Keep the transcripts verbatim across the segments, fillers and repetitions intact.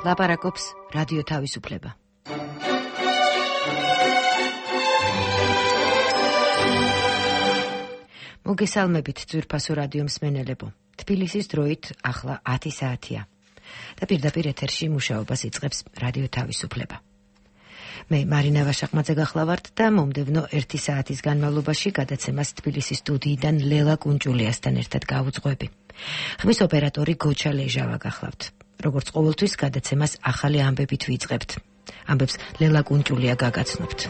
ლაპარაკობს რადიო თავისუფლება. მოგესალმებით ძვირფასო რადიო მსმენელებო. თბილისის დროით ახლა ათი საათია და პირდაპირ ეთერში მუშაობას იწყებს რადიო თავისუფლება. მე მარინა ვაშაყმაძე გახლავართ და მომდევნო ერთი საათის განმავლობაში გადაცემას თბილისის სტუდიიდან ლელა კუნჭულიასთან ერთად გავუძღვები. ხმის ოპერატორი გოჩა ლეჟავა გახლავთ. როგორც ყოველთვის გადაცემას ახალი ამბებით ვიწყებთ. ამბებს ლელა კუნჭულია გაგაცნობთ.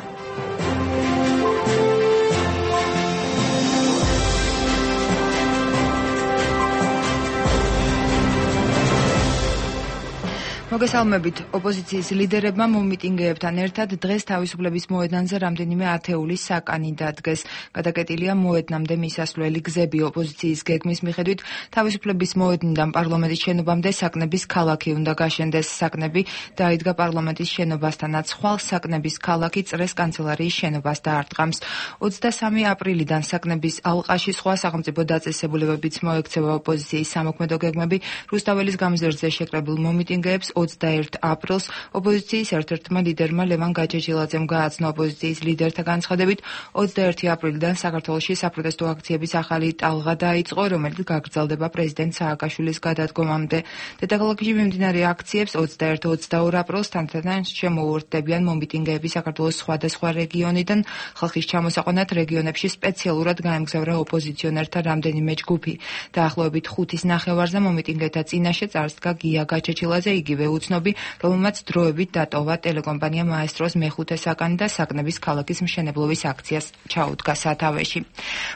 მოგესალმებით. ოპოზიციის ლიდერებმა მომიტინგეებთან ერთად დღეს თავისუფლების მოედანზე რამდენიმე ათეულის საკანი დადგეს. გადაკეტილია მოედნამდე მისასვლელი გზები. ოპოზიციის გეგმის მიხედვით თავისუფლების მოედნიდან პარლამენტის შენობამდე საკნების ქალაქი უნდა გაშენდეს. საკნები დაიდგა პარლამენტის შენობასთანაც. ხვალ საკნების ქალაქი წრეს კანცელარიის შენობას დაარტყამს. ოცდამესამე აპრილიდან საკნების ალყაში სხვა სახელმწიფო დაწესებულებებიც მოექცევა ოპოზიციის სამოქმედო გეგმები. რუსთაველის გამზირზე შეკრებილ მომიტინგეებს ოცდაერთი აპრილს ოპოზიციის ერთ-ერთმა ლიდერმა ლევან გაჩეჩილაძემ გააცნო. ოპოზიციის ლიდერთა განცხადებით ოცდაერთი აპრილიდან საქართველოში საპროტესტო აქციების ახალი ტალღა დაიწყო, რომელიც გაგრძელდება პრეზიდენტ სააკაშვილის გადადგომამდე. დედაქალაქში მიმდინარე აქციებს ოცდაერთი ოცდაორი აპრილს თანდათან შემოუერთდებიან მომიტინგეები საქართველოს სხვადასხვა რეგიონიდან. ხალხის ჩამოსაყვანად რეგიონებში სპეციალურად გაემგზავრა ოპოზიციონერთა რამდენიმე ჯგუფი. დაახლოებით ხუთის ნახევარზე მომიტინგეთა წინაშე წარსდგა გია გაჩეჩილაძე, იგივე უცნობი, რომელმაც დროებით დატოვა ტელეკომპანია მაესტროს მეხუთე საკანი და საკნების ქალაქის მშენებლობის აქციას ჩაუდგა სათავეში.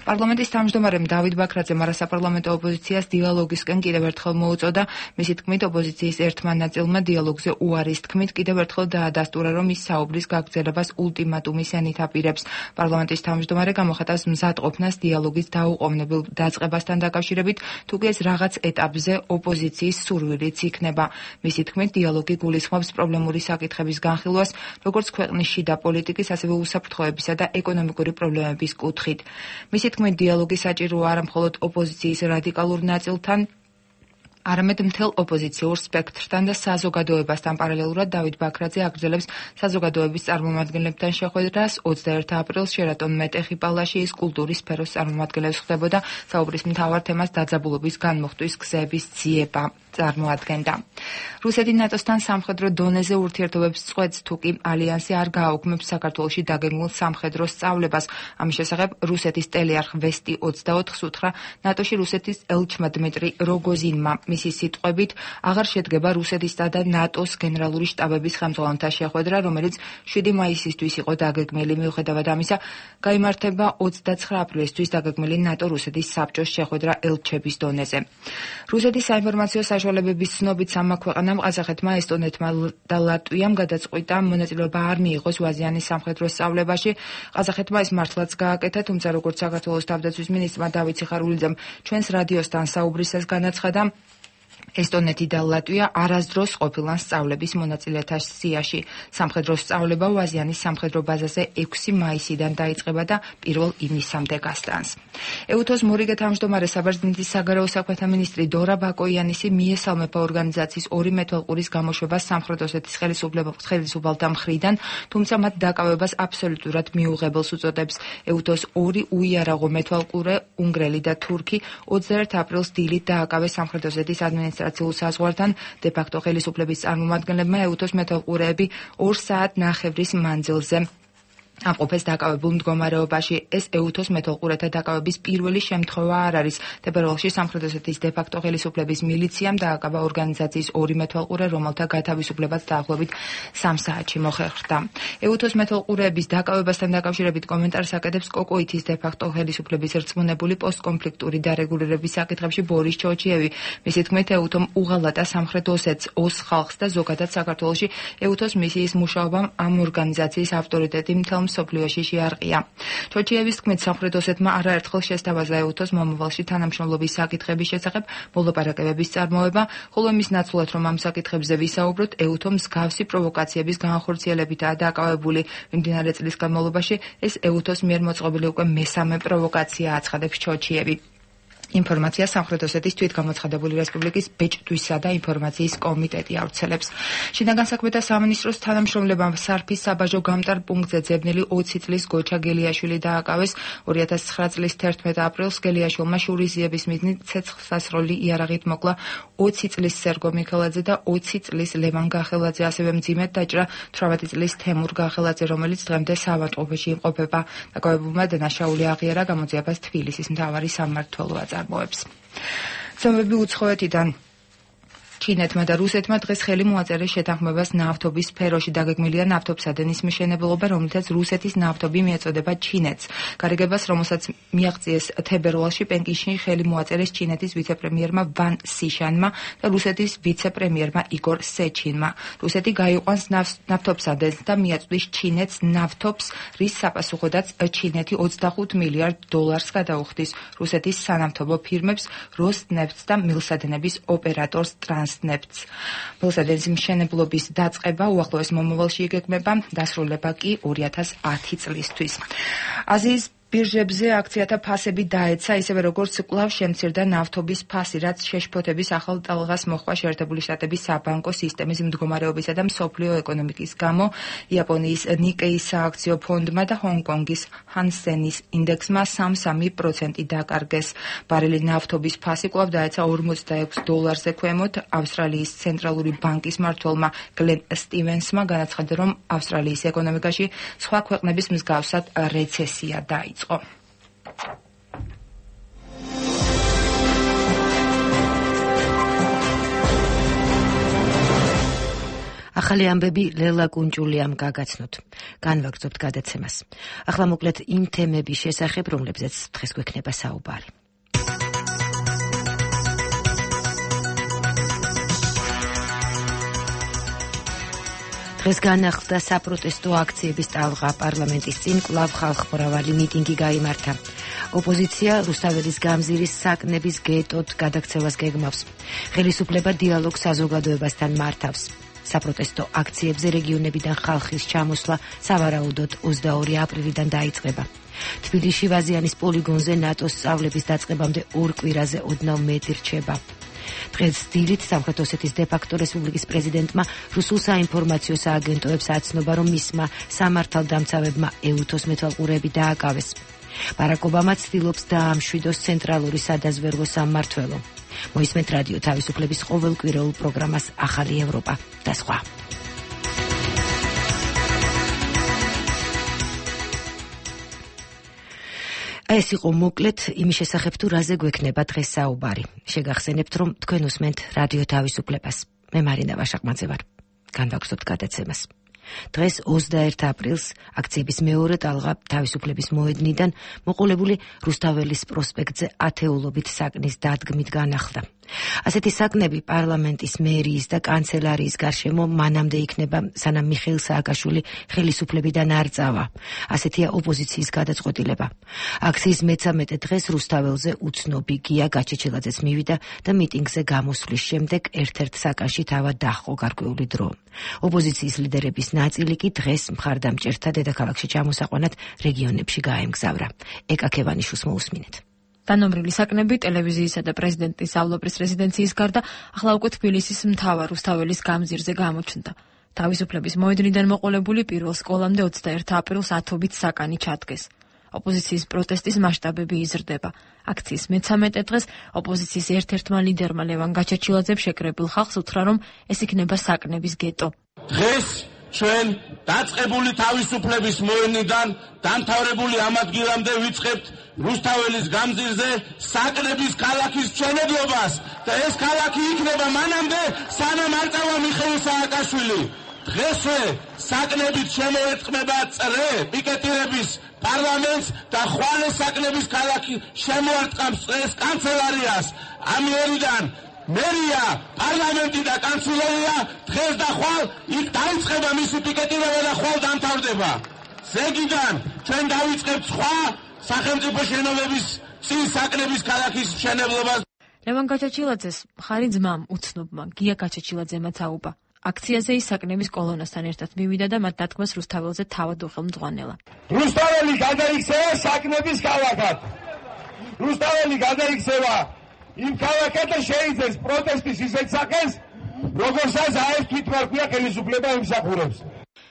პარლამენტის თავმჯდომარემ დავით ბაქრაძემ არასაპარლამენტო ოპოზიციას დიალოგისკენ კიდევ ერთხელ მოუწოდა. მისი თქმით, ოპოზიციის ერთმა ნაწილმა დიალოგზე უარის თქმით კიდევ ერთხელ დაადასტურა, რომ ის საუბრის გაგრძელებას ულტიმატუმის ენით აპირებს. პარლამენტის თავმჯდომარე გამოხატავს მზადყოფნას დიალოგის დაუყოვნებელ დაწყებასთან დაკავშირებით, თუკი ეს რაღაც ეტაპზე ოპოზიციის სურვილიც იქნება. მისი თქმით, დიალოგი გულისხმობს პრობლემური საკითხების განხილვას, როგორც ქვეყნის შიდა პოლიტიკის, ასევე უსაფრთხოებისა და ეკონომიკური პრობლემების კუთხით. მისი თქმით, დიალოგი საჭიროა არა მხოლოდ ოპოზიციის რადიკალურ ნაწილთან, არამედ მთელ ოპოზიციურ სპექტრთან და საზოგადოებასთან. პარალელურად დავით ბაქრაძე აგრძელებს საზოგადოების წარმომადგენლებთან შეხვედრას. ოცდაერთი აპრილს შერატონ მეტეხი პალაშიის კულტურის სფეროს წარმომადგენლებს ხდებოდა. საუბრის მთავარ თემას დაძაბულობის განმუხტვის გზების ძიება წარმოადგენდა. რუსეთი ნატოსთან სამხედრო დონეზე ურთიერთობებს წყვეტს, თუკი ალიანსი არ გააუქმებს საქართველოში დაგეგმილ სამხედრო სწავლებას. ამის შესახებ რუსეთის ტელეარხ ვესტი ოცდაოთხს უთხრა ნატოში რუსეთის ელჩმა დმიტრი როგოზინმა. მისი სიტყვებით, აღარ შედგება რუსეთისა და ნატოს გენერალური შტაბების ხელმძღვანელთა შეხვედრა, რომელიც შვიდი მაისისთვის იყო დაგეგმილი. მიუხედავად ამისა, გაიმართება ოცდაცხრა აპრილისთვის დაგეგმილი ნატო-რუსეთის საბჭოს შეხვედრა ელჩების დონეზე. რუსეთის საინფორმაციო საშუალებების ცნობით სამმა ქვეყანამ, ყაზახეთმა, ესტონეთმა და ლატვიამ გადაწყვიტა მონაწილეობა არ მიიღოს ვაზიანის სამხედრო სწავლებაში. ყაზახეთმა ეს მართლაც გააკეთა, თუმცა როგორც საქართველოს თავდაცვის მინისტრმა დავით სიხარულიძემ ჩვენს რადიოსთან საუბრისას განაცხადა, ესტონეთი და ლატვია არასდროს ყოფილან სწავლების მონაწილეთა სიაში. სამხედრო სწავლება ვაზიანის სამხედრო ბაზაზე ექვსი მაისიდან დაიწყება და პირველ ივნისამდე გასტანს. ეუთოს მორიგე თავმჯდომარე საბერძნეთის საგარეო საქმეთა მინისტრი დორა ბაკოიანისი მიესალმება ორგანიზაციის ორი მეთვალყურის გამოშვებას სამხრეთ ოსეთის ხელისუფალთა მხრიდან, თუმცა მათ დაკავებას აბსოლუტურად მიუღებელს უწოდებს. ეუთოს ორი უიარაღო მეთვალყურე, უნგრელი და თურქი, ოცდაერთი აპრილს დილით დააკავეს სამხრეთ ოსეთის ადმინისტრაციულ საზღვართან. დე-ფაქტო ხელისუფლების წარმომადგენლებმა ეუთოს მეთვალყურეები ორ საათ ნახევრის მანძილზე ამყოფეს დაკავებულ მდგომარეობაში. ეს ეუთოს მეთვალყურეთა დაკავების პირველი შემთხვევა არ არის. თებერვალში სამხრეთ ოსეთის დე-ფაქტო ხელისუფლების მილიციამ დააკავა ორგანიზაციის ორი მეთვალყურე, რომელთა გათავისუფლებაც დაახლოებით სამ საათში მოხერხდა. ეუთოს მეთვალყურეების დაკავებასთან დაკავშირებით კომენტარს აკეთებს კოკოითის დე-ფაქტო ხელისუფლების რწმუნებული პოსტკონფლიქტური დარეგულირების საკითხებში ბორის ჩოჩიევი. მისი თქმით, ეუთომ უღალატა სამხრეთ ოსეთს, ოს ხალხს და ზოგადად საქართველოში ეუთოს მისიის მუშაობამ ამ ორგანიზაციის ავტორიტეტი მთელ მსოფლიოში შეარყია. ჩოჩიევის თქმით, სამხრეთ ოსეთმა არაერთხელ შესთავაზა ეუთოს მომავალში თანამშრომლობის საკითხების შესახებ მოლაპარაკებების წარმოება, ხოლო მის ნაცვლად, რომ ამ საკითხებზე ვისაუბროთ, ეუთო მსგავსი პროვოკაციების განხორციელებითაა დაკავებული. მიმდინარე წლის განმავლობაში ეს ეუთოს მიერ მოწყობილი უკვე მესამე პროვოკაცია, აცხადებს ჩოჩიევი. ინფორმაცია სამხრეთ ოსეთის თვითგამოცხადებული რესპუბლიკის ბეჭდვისა და ინფორმაციის კომიტეტი ავრცელებს. შინაგან საქმეთა სამინისტროს თანამშრომლებამ სარფის საბაჟო გამტარ პუნქტზე ძებნილი ოცი წლის გოჩა გელიაშვილი დააკავეს. ორი ათას ცხრა წლის თერთმეტ აპრილს გელიაშვილმა შურიზიების მიზნით ცეცხლსასროლი იარაღით მოკლა ოცი წლის სერგო მიქელაძე და ოცი წლის ლევან გახელაძე, ასევე მძიმედ დაჭრა თვრამეტი წლის თემურ გახელაძე, რომელიც დღემდე საავადმყოფოში იმყოფება. დაკავებულმა დანაშაული აღიარა, გამოძიებას თბილისის მთავარი სამმართველო აწარმოებს. ცნობები უცხოეთიდან ჩინეთმა და რუსეთმა დღეს ხელი მოაწერეს შეთანხმებას ნავთობის სფეროში. დაგეგმილია ნავთობსადენის მშენებლობა, რომლითაც რუსეთის ნავთობი მიეწოდება ჩინეთს. გარიგებას, რომელსაც მიაღწიეს თებერვალში პეკინში, ხელი მოაწერეს ჩინეთის ვიცე-პრემიერმა ვან სიშანმა და რუსეთის ვიცე-პრემიერმა იგორ სეჩინმა. რუსეთი გაიყვანს ნავთობსადენს და მიაწვდის ჩინეთს ნავთობს, რის საპასუხოდაც ჩინეთი ოცდახუთ მილიარდ დოლარს გადაუხდის რუსეთის სანავთობო ფირმებს როსნეფტს და მილსადენების ოპერატორს ტრანს ნეფტს. მილსადენის მშენებლობის დაწყება უახლოეს მომავალში იგეგმება, დასრულება კი ორი ათას ათი წლისთვის. აზიის ბირჟებზე აქციათა ფასები დაეცა, ისევე როგორც კვლავ შემცირდა ნავთობის ფასი, რაც შეშფოთების ახალ ტალღას მოჰყვა შეერთებული შტატების საბანკო სისტემის მდგომარეობისა და მსოფლიო ეკონომიკის გამო. იაპონიის ნიკეის სააქციო ფონდმა და ჰონგ-კონგის ჰანსენის ინდექსმა სამ კoma სამი პროცენტი დაკარგეს. ბარელი ნავთობის ფასი კვლავ დაეცა ორმოცდაექვს დოლარზე ქვემოთ. ავსტრალიის ცენტრალური ბანკის მმართველმა გლენ სტივენსმა განაცხადა, რომ ავსტრალიის ეკონომიკაში სხვა ქვეყნების მსგავსად რეცესია დაიწყო. ახალი ამბები ლელა კუნჭულიამ გაგაცნოთ. განვაგრძობთ გადაცემას. ახლა მოკლედ იმ თემების შესახებ, რომლებზეც დღეს გვექნება საუბარი. დღეს განახლდა საპროტესტო აქციების ტალღა. პარლამენტის წინ კვლავ ხალხმრავალი მიტინგი გაიმართა. ოპოზიცია რუსთაველის გამზირის საკნების გეტოდ გადაქცევას გეგმავს. ხელისუფლება დიალოგს საზოგადოებასთან მართავს. საპროტესტო აქციებზე რეგიონებიდან ხალხის ჩამოსვლა სავარაუდოდ ოცდაორი აპრილიდან დაიწყება. თბილისში ვაზიანის პოლიგონზე ნატოს სწავლების დაწყებამდე ორ კვირაზე ოდნავ მეტი რჩება. დღეს დილით სამხრეთ ოსეთის დე-ფაქტო რესპუბლიკის პრეზიდენტმა რუსულ საინფორმაციო სააგენტოებს აცნობა, რომ მისმა სამართალდამცავებმა ეუთოს მეთვალყურეები დააკავეს. ბარაკ ობამა ცდილობს დაამშვიდოს ცენტრალური სადაზვერვო სამმართველო. მოისმენთ რადიო თავისუფლების ყოველკვირეულ პროგრამას ახალი ევროპა და სხვა. ეს იყო მოკლედ იმის შესახებ, თუ რაზე გვექნება დღეს საუბარი. შეგახსენებთ, რომ თქვენ უსმენთ რადიო თავისუფლებას. მე მარინა ვაშაყმაძე ვარ. განვაგრძობთ გადაცემას. დღეს ოცდაერთ აპრილს აქციების მეორე ტალღა თავისუფლების მოედნიდან მოყოლებული რუსთაველის პროსპექტზე ათეულობით საკნის დადგმით განახლდა. ასეთი საკნები პარლამენტის, მერიის და კანცელარიის გარშემო მანამდე იქნება, სანამ მიხეილ სააკაშვილი ხელისუფლებიდან არ წავა. ასეთია ოპოზიციის გადაწყვეტილება. აქციის მეცამეტე დღეს რუსთაველზე უცნობი გია გაჩეჩილაძეც მივიდა და მიტინგზე გამოსვლის შემდეგ ერთ-ერთ საკანში თავად დაჰყო გარკვეული დრო. ოპოზიციის ლიდერების ნაწილი კი დღეს მხარდამჭერთა დედაქალაქში ჩამოსაყვანად რეგიონებში გაემგზავრა. ეკა ქევანიშვილს მოусმინეთ. დანომრილი საკნები ტელევიზიისა და პრეზიდენტის ავლოპრის რეზიდენციის გარდა ახლა უკვე თბილისის მთავარ რუსთაველის გამზირზე გამოჩნდა. თავისუფლების მოედნიდან მოყოლებული პირველ სკოლამდე ოცდაერთ აპრილს ათობით საკანი ჩადგეს. ოპოზიციის პროტესტის მასშტაბები იზრდება. აქციის მეცამეტე დღეს ოპოზიციის ერთ-ერთმა ლიდერმა ლევან გაჩეჩილაძემ შეკრებილ ხალხს უთხრა, რომ ეს იქნება საკნების გეტო. დღეს ჩვენ დაწყებული თავისუფლების მოედნიდან დამთავრებული ამ ადგილამდე ვიწყებთ რუსთაველის გამზირზე საკნების ქალაქის მშენებლობას და ეს ქალაქი იქნება მანამდე, სანამ არ წავა მიხეილ სააკაშვილი. დღესვე საკნებით შემოერტყმება წრე პიკეტირების პარლამენტს და ხვალე საკნების ქალაქი შემოარტყამს წრეს კანცელარიას. ამიერიდან მერია, პარლამენტი და კანცელარია დღეს და ხვალ იქ დაიწყება მისი პიკეტირება და ხვალ დამთავრდება. ზეგიდან ჩვენ დავიწყებთ სხვა სახელმწიფო შენობების წინ საკნების ქალაქის მშენებლობას. ლევან გაჩეჩილაძეს მხარი ძმამ უცნობმა გია გაჩეჩილაძემაც აუპა. აქციაზე ის საკნების კოლონასთან ერთად მივიდა და მათ დათქმას რუსთაველზე თავად უხელმძღვანელა. რუსთაველი გადაიქცევა საკნების ქალაქად. რუსთაველი გადაიქცევა იმ ქალაქად და შეიძებს პროტესტის ისეთ სახეს, როგორსაც აეს თვითმარქვია ხელისუფლება იმსახურებს.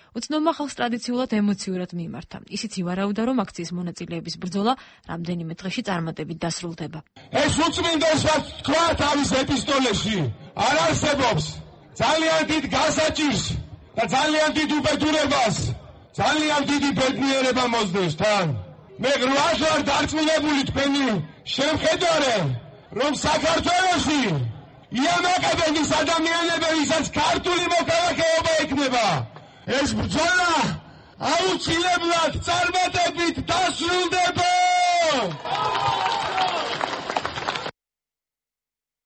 უცნობმა ხალხს ტრადიციულად ემოციურად მიიმართა. ისიც ივარაუდა, რომ აქციის მონაწილეების ბრძოლა რამდენიმე დღეში წარმატებით დასრულდება. ეს უწმინდეს რაც თქვა თავის ეპისტოლეში, არ არსებობს. ძალიან დიდ გასაჭირს და ძალიან დიდ უბედურებას, ძალიან დიდი ბედნიერება მოსდევს თან. მე გვარ ვარ დარწმუნებული თქვენი შემხედარე, რომ საქართველოში იამაკადების ადამიანები, ვისაც ქართული მოქალაქეობა ექნება, ეს ბრძოლა აუცილებლად წარმატებით დასრულდება.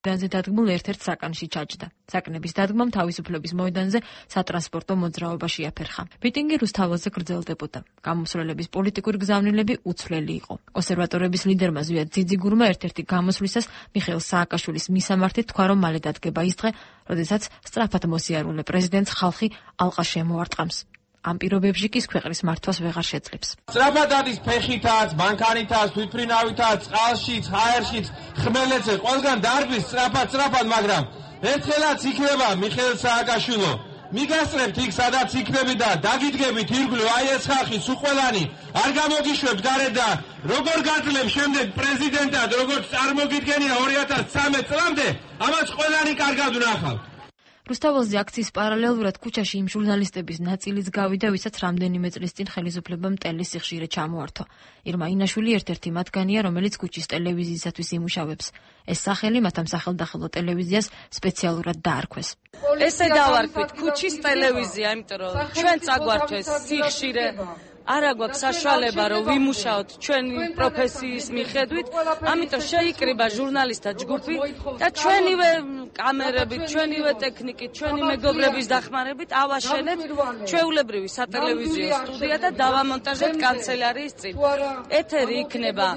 მოედანზე დადგმულ ერთ-ერთ საკანში ჩაჯდა. საკნების დადგმამ თავისუფლების მოედანზე სატრანსპორტო მოძრაობა შეაფერხა. მიტინგი რუსთაველზე გრძელდებოდა. გამოსვლელების პოლიტიკური გზავნილები უცვლელი იყო. კონსერვატორების ლიდერმა ზვიად ძიძიგურმა ერთ-ერთი გამოსვლისას მიხეილ სააკაშვილის მისამართით თქვა, რომ მალე დადგება ის დღე, როდესაც სწრაფად მოსიარულე პრეზიდენტს ხალხი ალყა შემოარტყამს. ამ პირობებში კი ქვეყნის მართვას ვეღარ შეძლებს. სწრაფად არის ფეხითაც, მანქანითაც, თვითმფრინავითაც, წყალშიც, ჰაერშიც, ხმელეთზე, ყველგან დარბის სწრაფად, სწრაფად, მაგრამ ერთხელაც იქნება მიხეილ სააკაშვილო. მიგასწრებთ იქ, სადაც იქნები და დაგიდგებით ირგვლივ, აი ეს ხალხი სუყველანი, არ გამოგიშვებთ გარედან, როგორ გაძლევ შემდეგ პრეზიდენტად, როგორც წარმოგიდგენია ორი ათას ცხრამეტ წლამდე, ამას ყველანი კარგად ვნახავთ. რუსთაველზე აქციის პარალელურად ქუჩაში იმ ჟურნალისტების ნაწილიც გავიდა, ვისაც რამდენიმე წლის წინ ხელისუფლებამ ტელის სიხშირე ჩამოართვა. ირმა ინაშვილი ერთ-ერთი მათგანია, რომელიც ქუჩის ტელევიზიისათვის იმუშავებს. ეს სახელი მათ ამ სახელდახელო ტელევიზიას სპეციალურად დაარქვეს. ესე დავარქვით ქუჩის ტელევიზია, იმიტომ რომ ჩვენ წაგვართვეს სიხშირე. არა გვაქვს საშუალება, რომ ვიმუშაოთ ჩვენი პროფესიის მიხედვით, ამიტომ შეიკრიბა ჟურნალისტთა ჯგუფი და ჩვენივე კამერებით, ჩვენივე ტექნიკით, ჩვენი მეგობრების დახმარებით ავაშენებთ ჩვეულებრივი სატელევიზიო სტუდია და დავამონტაჟებთ კანცელარიის წინ. ეთერი იქნება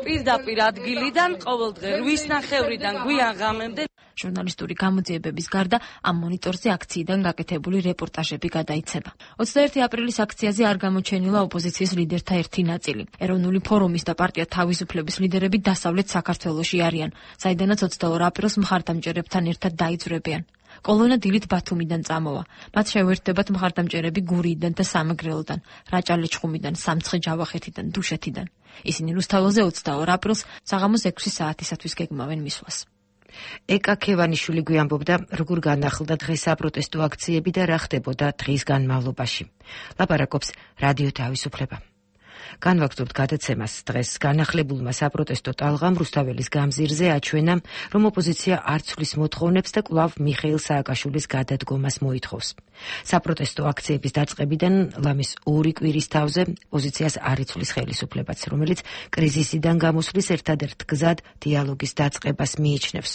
პირდაპირ ადგილიდან ყოველდღე რვის ნახევრიდან გვიან ღამემდე. ჟურნალისტური გამოძიებების გარდა ამ მონიტორზე აქციიდან გაკეთებული რეპორტაჟები გადაიცემა. ოცდაერთი აპრილის აქციაზე არ გამოჩენილა ოპოზიციის ლიდერთა ერთი ნაწილი. ეროვნული ფორუმის და პარტია თავისუფლების ლიდერები დასავლეთ საქართველოში არიან, საიდანაც ოცდაორ აპრილს მხარდამჭერებთან ერთად დაიძვრებიან. კოლონა დილით ბათუმიდან წამოვა. მათ შეუერთდებათ მხარდამჭერები გურიიდან და სამეგრელოდან, რაჭა-ლეჩხუმიდან, სამცხე-ჯავახეთიდან, დუშეთიდან. ისინი რუსთაველზე ოცდაორ აპრილს საღამოს ექვსი საათისათვის გეგმავენ მისვლას. ეკა ქევანიშვილი გვიამბობდა, როგორ განახლდა დღეს საპროტესტო აქციები და რა ხდებოდა დღის განმავლობაში. ლაპარაკობს რადიო თავისუფლება. განვაგრძობთ გადაცემას. დღეს განახლებულმა საპროტესტო ტალღამ რუსთაველის გამზირზე აჩვენა, რომ ოპოზიცია არ ცვლის მოთხოვნებს და კვლავ მიხეილ სააკაშვილის გადადგომას მოითხოვს. საპროტესტო აქციების დაწყებიდან ლამის ორი კვირის თავზე პოზიციას არ იცვლის ხელისუფლებაც, რომელიც კრიზისიდან გამოსვლის ერთადერთ გზად დიალოგის დაწყებას მიიჩნევს.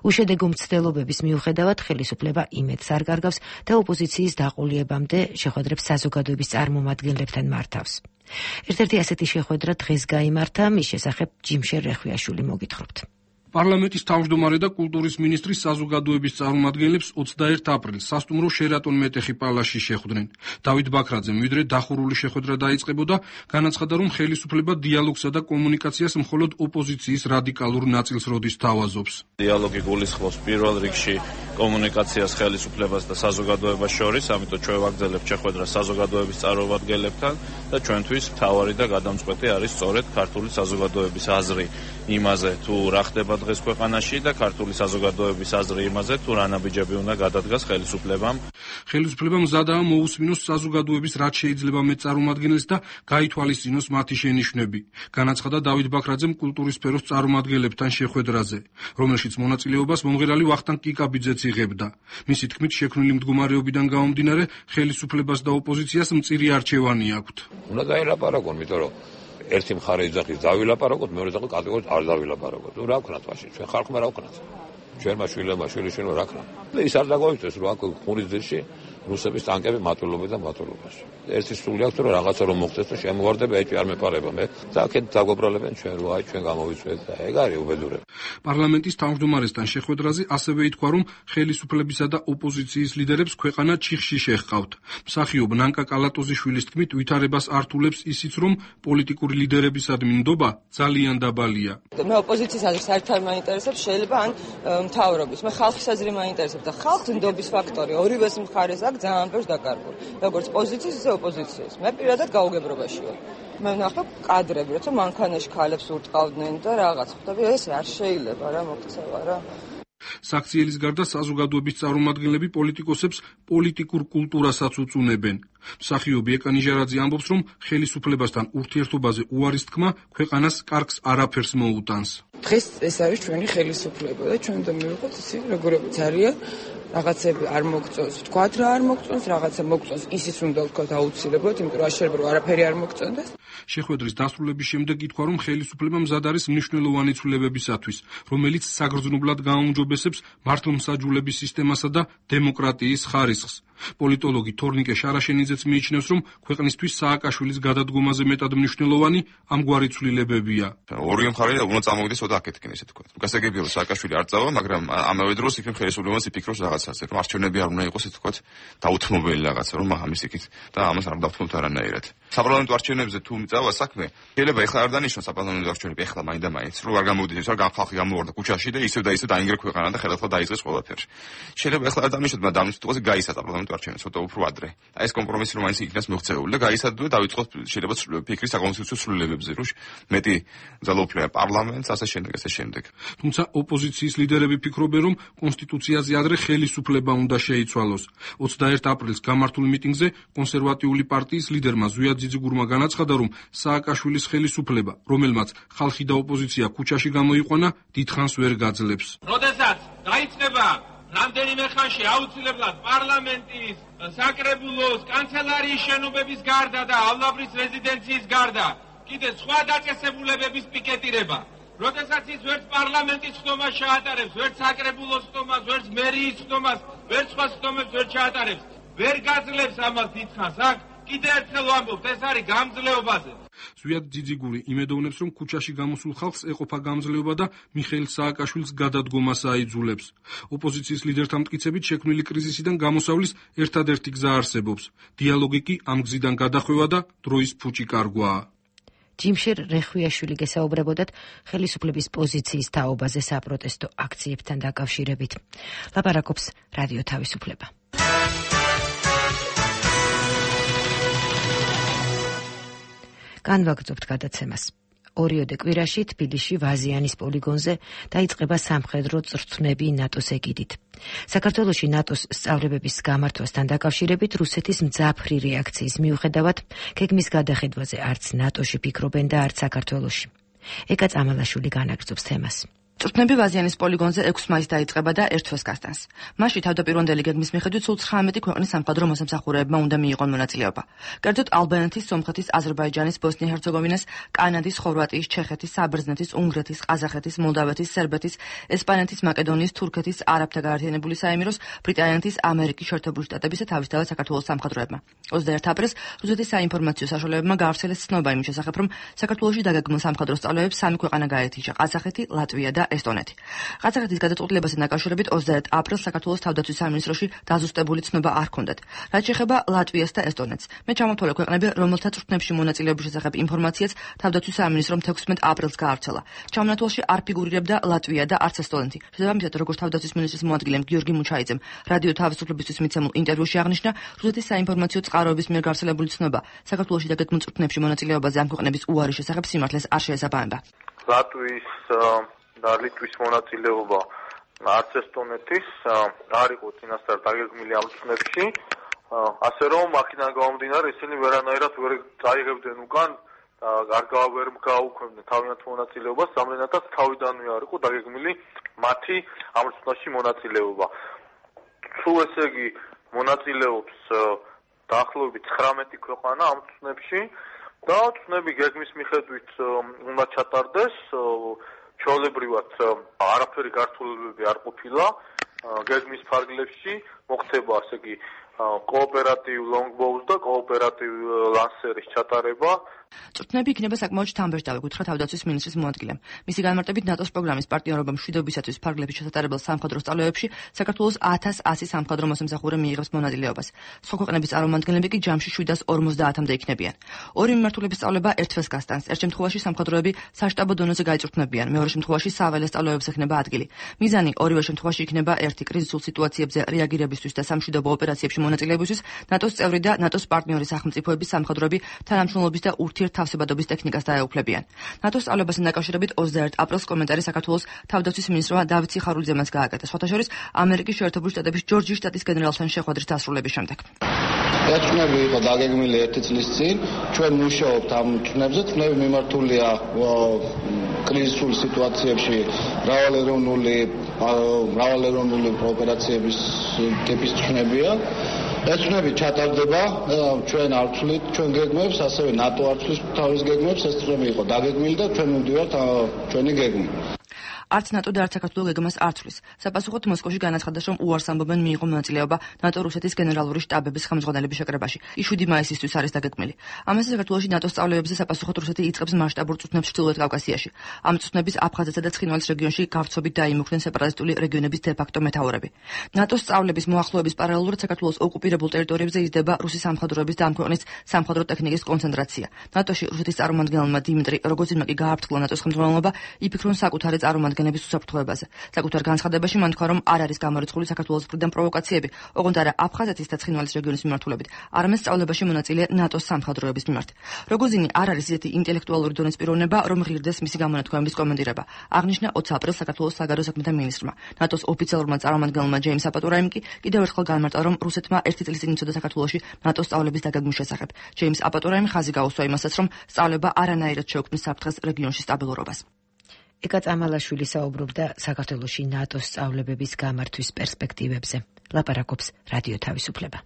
უშედეგო მცდელობების მიუხედავად ხელისუფლება იმედს არ კარგავს და ოპოზიციის დაყოლიებამდე შეხვედრებს საზოგადოების წარმომადგენლებთან მართავს. ერთ-ერთი ასეთი შეხვედრა დღეს გაიმართა, მის შესახებ ჯიმშერ რეხვიაშვილი მოგითხრობთ. პარლამენტის თავმჯდომარე და კულტურის მინისტრის საზოგადოების წარმომადგენლებს ოცდაერთ აპრილს სასტუმრო შერატონ მეტეხი პალასში შეხვდნენ. დავით ბაქრაძემ ვიდრე დახურული შეხვედრა დაიწყებოდა, განაცხადა, რომ ხელისუფლება დიალოგსა და კომუნიკაციას მხოლოდ ოპოზიციის რადიკალურ ნაწილს როდის თავაზობს. დიალოგი გულისხმობს პირველ რიგში კომუნიკაციას ხელისუფლებას და საზოგადოებას შორის, ამიტომ ჩვენ ვაგრძელებთ შეხვედრას საზოგადოების წარმომადგენლებთან და ჩვენთვის მთავარი და გადამწყვეტი არის სწორედ ქართული საზოგადოების აზრი იმაზე, თუ რა ხდება დღეს ქვეყანაში და ქართული საზოგადოების აზრი იმაზე, თუ რა ნაბიჯები უნდა გადადგას ხელისუფლებამ. ხელისუფლებამ მზადაა მოусმინოს საზოგადოების რაც შეიძლება მეტ წარმომადგენელს და გაითვალისწინოს მათი შენიშვნები. განაცხადა დავით ბაქრაძემ კულტურის სფეროს წარმომადგენლებთან შეხვედრაზე, რომელშიც მონაწილეობას მომღერალი ვახტანგ კიკაბიძეც იღებდა. მისი თქმით, შექმნილი მდგომარეობიდან გამომდინარე, ხელისუფლებას და ოპოზიციას მწირი არჩევანი აქვთ. უნდა გაილაპარაკონ, იმიტომ რომ ერთი მხარე იძახის დავილაპარაკოთ, მეორე იძახის კატეგორიულად არ დავილაპარაკოთ. ნუ რა ვქნათ მაშინ? ჩვენ ხალხმა რა ვქნათ? ჩვენმა შვილებმა, შვილიშვილებმა რა ქნა? ის არ დაგოიწეს, რომ აქ ხურის ძირში რუსების ტანკები მატულობენ და მატულობას. ერთი სული აქვს, რომ რაღაცა რომ მოხდეს და შემოვარდება, ეჭვი არ მეპარება მე. აქეთ დაგვებრალებენ ჩვენ რო აი ჩვენ გამოვიწვეთ და ეგ არის უბედურება. პარლამენტის თავმჯდომარესთან შეხვედრაზე ასევე ითქვა, რომ ხელისუფლებისა და ოპოზიციის ლიდერებს ქვეყანა ჩიხში შეჰყავთ. მსახიობ ნანკა კალატოზიშვილის თქმით, ვითარებას ართულებს ისიც, რომ პოლიტიკური ლიდერებისადმი ნდობა ძალიან დაბალია. მე ოპოზიციის აზრს საერთოდ მაინტერესებს, შეიძლება ან მთავრობის. მე ხალხის აზრი მაინტერესებს და ხალხს ნდობის ფაქტორი ორივეს მხარეს აქვს ძალიან ბევრს დაკარგული. როგორც პოზიციის, ისე ოპოზიციის. მე პირადად გაუგებრობაში ვარ. მე ვნახე კადრები, როცა მანქანაში ქალებს ურტყავდნენ და რაღაც. ხვდები, ეს არ შეიძლება რა მოქცევა რა. საქციელის გარდა საზოგადოების წარმომადგენლები პოლიტიკოსებს პოლიტიკურ კულტურასაც უწუნებენ. მსახიობი ეკა ნიჟარაძე ამბობს, რომ ხელისუფლებასთან ურთიერთობაზე უარის თქმა ქვეყანას კარგს არაფერს მოუტანს. დღეს ეს არის ჩვენი ხელისუფლება და ჩვენ უნდა მივიღოთ ისე როგორიც არიან. რაღაცები არ მოგწონს, თქვათ რა არ მოგწონს, რაღაცა მოგწონს, ისიც უნდა ვთქვათ აუცილებლად, იმიტომ რომ არ შეიძლება რომ არაფერი არ მოგწონდეს. შეხვედრის დასრულების შემდეგ ითქვა, რომ ხელისუფლება მზად არის მნიშვნელოვანი ცვლილებებისათვის, რომელიც საგრძნობლად გააუმჯობესებს მართლმსაჯულების სისტემასა და დემოკრატიის ხარისხს. პოლიტოლოგი თორნიკე შარაშენიძეც მიიჩნევს, რომ ქვეყნისთვის სააკაშვილის გადადგომაზე მეტად მნიშვნელოვანი ამგვარი ცვლილებებია. ორივე მხარე უნდა წამოვიდეს ოდა აქეთკენ, ესე თქვა. გასაგებია რომ სააკაშვილი არ წავა, მაგრამ ამავე დროს იქნებ ხელისუფლებაც იფიქროს რაღაცაზე, რომ არჩევნები არ უნდა იყოს, ესე თქვა, დაუთმობელი რაღაცა, რომ ამის იქით და ამას არ დავთმობთ არანაირად. საპარლამენტო არჩევნებზე თუ წავა საქმე, შეიძლება ეხლა არ დანიშნოს საპარლამენტო არჩევნები, ეხლა მაინც და მაინც, რომ არ გამოვიდეს, რა ხალხი გამოვარდა ქუჩაში და ისევ და ისევ დაინგრა ქვეყანა და ხელახლა დაიწყეს ყველაფერი. შეიძლება ეხლა არ დანიშნოთ, მაგრამ დამნაშთოზე გაისა საპარლამენტო არჩევნები, ცოტა უფრო ადრე. აი ეს კომპრომისი რომ მაინც იქნას მოღწეული და გაისადო და დაიწყოთ შეიძლება ფიქრის საკონსტიტუციო ცვლილებებზე, რომ მეტი ძალაუფლება პარლამენტს, ასე შემდეგ, ასე შემდეგ. თუმცა ოპოზიციის ლიდერები ფიქრობენ, რომ კონსტიტუციაზე ადრე ხელისუფლება უნდა შეიცვალოს. ოცდაერთ აპრილს გამართულ მიტინგზე კონსერვატიული პარტიის ლიდერმა ზვიად ძიძიგურმა განაცხადა, რომ სააკაშვილის ხელისუფლება, რომელმაც ხალხი და ოპოზიცია ქუჩაში გამოიყვანა, დიდხანს ვერ გაძლებს. როდესაც დაიწყება რამდენიმე ხანში აუცილებლად პარლამენტის, საკრებულოს, კანცელარიის შენობების გარდა და ალვაბრის რეზიდენციის გარდა კიდე სხვა დაწესებულებების პიკეტირება. როდესაც ის ვერც პარლამენტის ხდომას ჩაატარებს, ვერც საკრებულოს ხდომას, ვერც მერიის ხდომას, ვერც სხვა ხდომებს ვერ ჩაატარებს, ვერ გაძლებს ამას დიდხანს აქ, კიდე ერთხელ ვამბობთ, ეს არის გამძლეობაზე. ზვიად ძიძიგური იმედოვნებს, რომ ქუჩაში გამოსულ ხალხს ეყოფა გამძლეობა და მიხეილ სააკაშვილის გადადგომას აიძულებს. ოპოზიციის ლიდერთა მტკიცებით შექმნილი კრიზისიდან გამოსავლის ერთადერთი გზა არსებობს. დიალოგი კი ამ გზიდან გადახვევა და დროის ფუჭი კარგვაა. ჯიმშერ რეხვიაშვილი გესაუბრებოდათ ხელისუფლების პოზიციის თაობაზე საპროტესტო აქციებთან დაკავშირებით. ლაპარაკობს რადიო თავისუფლება. განვაგრძობთ გადაცემას. ორიოდე კვირაში თბილისში ვაზიანის პოლიგონზე დაიწყება სამხედრო წვრთნები ნატოს ეგიდით. საქართველოში ნატოს სწავლებების გამართვასთან დაკავშირებით რუსეთის მძაფრი რეაქციის მიუხედავად გეგმის გადახედვაზე არც ნატოში ფიქრობენ და არც საქართველოში. ეკა წამალაშვილი განაგრძობს თემას. წვრთნები ვაზიანის პოლიგონზე ექვსი მაისს დაიწყება და ერთ თვეს გასტანს. მასში თავდაპირველი გეგმის მიხედვით სულ ცხრამეტი ქვეყნის სამხედრო მოსამსახურეებმა უნდა მიიღონ მონაწილეობა. კერძოდ ალბანეთის, სომხეთის, აზერბაიჯანის, ბოსნია-ჰერცეგოვინას, კანადის, ხორვატიის, ჩეხეთის, საბერძნეთის, უნგრეთის, ყაზახეთის, მოლდავეთის, სერბეთის, ესპანეთის, მაკედონიის, თურქეთის, არაბთა გაერთიანებული საემიროს, ბრიტანეთის, ამერიკის შეერთებული შტატებისა თავისთავად საქართველოს სამხედროებმა. ოცდაერთ აპრილს რუსეთის საინფორმაციო საშუალებებმა გაავრცელეს ცნობა იმის შესახებ, რომ საქართველოში დაგეგმილ სამხედრო სწავლებებს სამი ქვეყანა გაეთიშა: ყაზახეთი, ლატვია და ესტონეთი. ყაზახეთის გადაწყვეტილებასთან დაკავშირებით ოცდაერთ აპრილს საქართველოს თავდაცვის სამინისტროში დაზუსტებული ცნობა არ ჰქონდათ. რაც შეეხება ლატვიას და ესტონეთს, მე ჩამოთვალე ქვეყნები, რომელთა წვრთნებში მონაწილეობის შესახებ ინფორმაციაც თავდაცვის სამინისტრომ თექვსმეტ აპრილს გაავრცელა. ჩამონათვალში არ ფიგურირებდა ლატვია და არც ესტონეთი. შესაბამისად, როგორც თავდაცვის მინისტრის მოადგილემ გიორგი მუჩაიძემ რადიო თავისუფლებისთვის მიცემულ ინტერვიუში აღნიშნა, რუსეთის საინფორმაციო წყაროების მიერ გავრცელებული ცნობა საქართველოში დაგეგმილ წვრთნებში მონაწილეობაზე ამ ქვეყნების უარის შესახებ სიმართლეს არ შეესაბამება. ლატვიის და ლიტვის მონაწილეობა არც ესტონეთის არ იყო წინასწარ დაგეგმილი ამ წვრთნებში, ასე რომ აქედან გამომდინარე ისინი ვერანაირად ვერ წაიღებდნენ უკან და არ ვერ გაუქმებდნენ თავიანთ მონაწილეობას, რამდენადაც თავიდანვე არ იყო დაგეგმილი მათი ამ წვრთნაში მონაწილეობა. თუ ესე იგი მონაწილეობს დაახლოებით ცხრამეტი ქვეყანა ამ წვრთნებში და წვრთნები გეგმის მიხედვით უნდა ჩატარდეს, ჩვეულებრივად არაფერი გართულებები არ ყოფილა გეგმის ფარგლებში, მოხდება ასე იგი კოოპერატივ longbows და კოოპერატივ ლანსერის ჩატარება. წვრთნები იქნება საკმაოდ შთამბეჭდავი, გითხრა თავდაცვის მინისტრის მოადგილემ. მისი განმარტებით ნატოს პროგრამის პარტნიორობა მშვიდობისათვის ფარგლებში ჩასატარებელ სამხედრო სწავლეებში საქართველოს ათას ასი სამხედრო მოსამსახურე მიიღებს მონაწილეობას. სხვა ქვეყნების წარმომადგენლები კი ჯამში შვიდას ორმოცდაათამდე იქნებიან. ორი მიმართულების სწავლება ერთ თვეს გასტანს. ერთ შემთხვევაში სამხედროები საშტაბო დონეზე გაიწვრთნებიან, მეორე შემთხვევაში საველე სწავლეებს ექნება ადგილი. მიზანი ორივე შემთხვევაში იქნება ერთი კრიზისულ სიტუაციებზე რეაგირებისთვის და სამშვიდობო ოპერაციებში მონაწილეობისთვის ნატოს წევრი და ნატოს პარტნიორი სახელმწიფოების სამხედროები თანამშრომლობის და ურთიერთთავსებადობის ტექნიკას დაეუფლებიან. ნატოს სწავლებასთან დაკავშირებით ოცდაერთ აპრილს კომენტარი საქართველოს თავდაცვის მინისტრმა დავით სიხარულიძემ გააკეთა. სხვათა შორის ამერიკის შეერთებული შტატების ჯორჯიის შტატის გენერალთან შეხვედრის დასრულების შემდეგ. ეჭვნები იყო დაგეგმილი ერთი წლის წინ, ჩვენ მუშაობთ ამ ეჭვნებზე, ეჭვნები მიმართულია კრიზისულ სიტუაციებში მრავალეროვნული მრავალეროვნული ოპერაციების ტიპის ეჭვნებია. ეჭვნები ჩატარდება, ჩვენ არ ვცვლით ჩვენ გეგმებს, ასევე ნატო არ ცვლის თავის გეგმებს, ეს ეჭვნები იყო დაგეგმილი და ჩვენ მივდივართ ჩვენი გეგმით. არც ნატო და არც საქართველოს გეგმას არ ცვლის. საპასუხოდ მოსკოვში განაცხადეს, რომ უარს ამბობენ მიიღო მონაწილეობა ნატო-რუსეთის გენერალური შტაბების ხელმძღვანელების შეკრებაში. ის შვიდი მაისისთვის არის დაგეგმილი. ამასე საქართველოში ნატოს სწავლეებზე საპასუხოდ რუსეთი იწყებს მასშტაბურ წვრთნებს ჩრდილოეთ კავკასიაში. ამ წვრთნების აფხაზეთსა და ცხინვალის რეგიონში გავცობით დაიმუქრნენ სეპარატისტული რეგიონების დე-ფაქტო მეთაურები. ნატოს სწავლების მოახლოების პარალელურად საქართველოს ოკუპირებულ ტერიტორიებზე იზრდება რუსი სამხედროების და ამ ქვეყნის სამხედრო ტექნიკის კონცენტრაცია. ნატოში რუსეთის წარმომადგენელმა დიმიტრი როგოზინმა კი გააფრთხილა ნატოს ხელმძღვანელობა, იფიქრონ საკუთარი წარმომადგენლების უსაფრთხოებაზე. საკუთარ განცხადებაში მან თქვა, რომ არ არის გამორიცხული საქართველოს მხრიდან პროვოკაციები, ოღონდ არა აფხაზეთის და ცხინვალის რეგიონის მიმართულებით, არამედ სწავლებაში მონაწილე ნატოს სამხედროების მიმართ. როგოზინი არ არის ისეთი ინტელექტუალური დონის პიროვნება, რომ ღირდეს მისი გამონათქვამების კომენტირება. აღნიშნა ოცი აპრილს საქართველოს საგარეო საქმეთა მინისტრმა. ნატოს ოფიციალურმა წარმომადგენელმა ჯეიმს აპატორაიმ კი კიდევ ერთხელ განმარტა, რომ რუსეთმა ერთი წლის წინ იცოდა საქართველოში ნატოს სწავლების დაგეგმვის შესახებ. ჯეიმს აპატორაიმ ხაზი გაუსვა იმასაც, რომ სწავლება არანაირად შეუქმნის საფრთხეს რეგიონში სტაბილურობას. ეკა წამალაშვილი საუბრობდა საქართველოში ნატოს სწავლებების გამართვის პერსპექტივებზე. ლაპარაკობს რადიო თავისუფლება.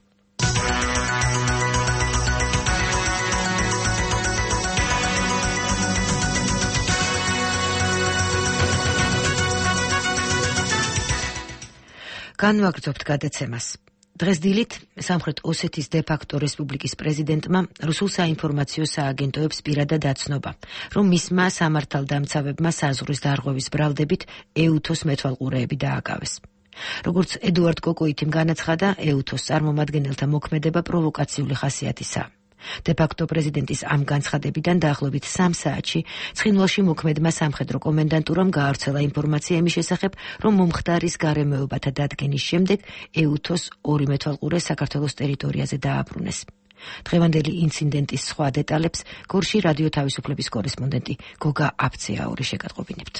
განვაგრძობთ გადაცემას. დღეს დილით სამხრეთ ოსეთის დე-ფაქტო რესპუბლიკის პრეზიდენტმა რუსულ საინფორმაციო სააგენტოებს პირადად აცნობა, რომ მისმა სამართალდამცავებმა საზღვრის დარღვევის ბრალდებით ეუთოს მეთვალყურეები დააკავეს. როგორც ედუარდ კოკოიტიმ განაცხადა, ეუთოს წარმომადგენელთა მოქმედება პროვოკაციული ხასიათისაა. დე-ფაქტო პრეზიდენტის ამ განცხადებიდან დაახლოებით სამ საათში ცხინვალში მოქმედმა სამხედრო კომენდანტურამ გაავრცელა ინფორმაცია იმის შესახებ, რომ მომხდარის გარემოებათა დადგენის შემდეგ ეუთოს ორი მეთვალყურე საქართველოს ტერიტორიაზე დააბრუნეს. დღევანდელი ინციდენტის სხვა დეტალებს გორში რადიო თავისუფლების კორესპონდენტი გოგა აფცეაური შეგატყობინებთ.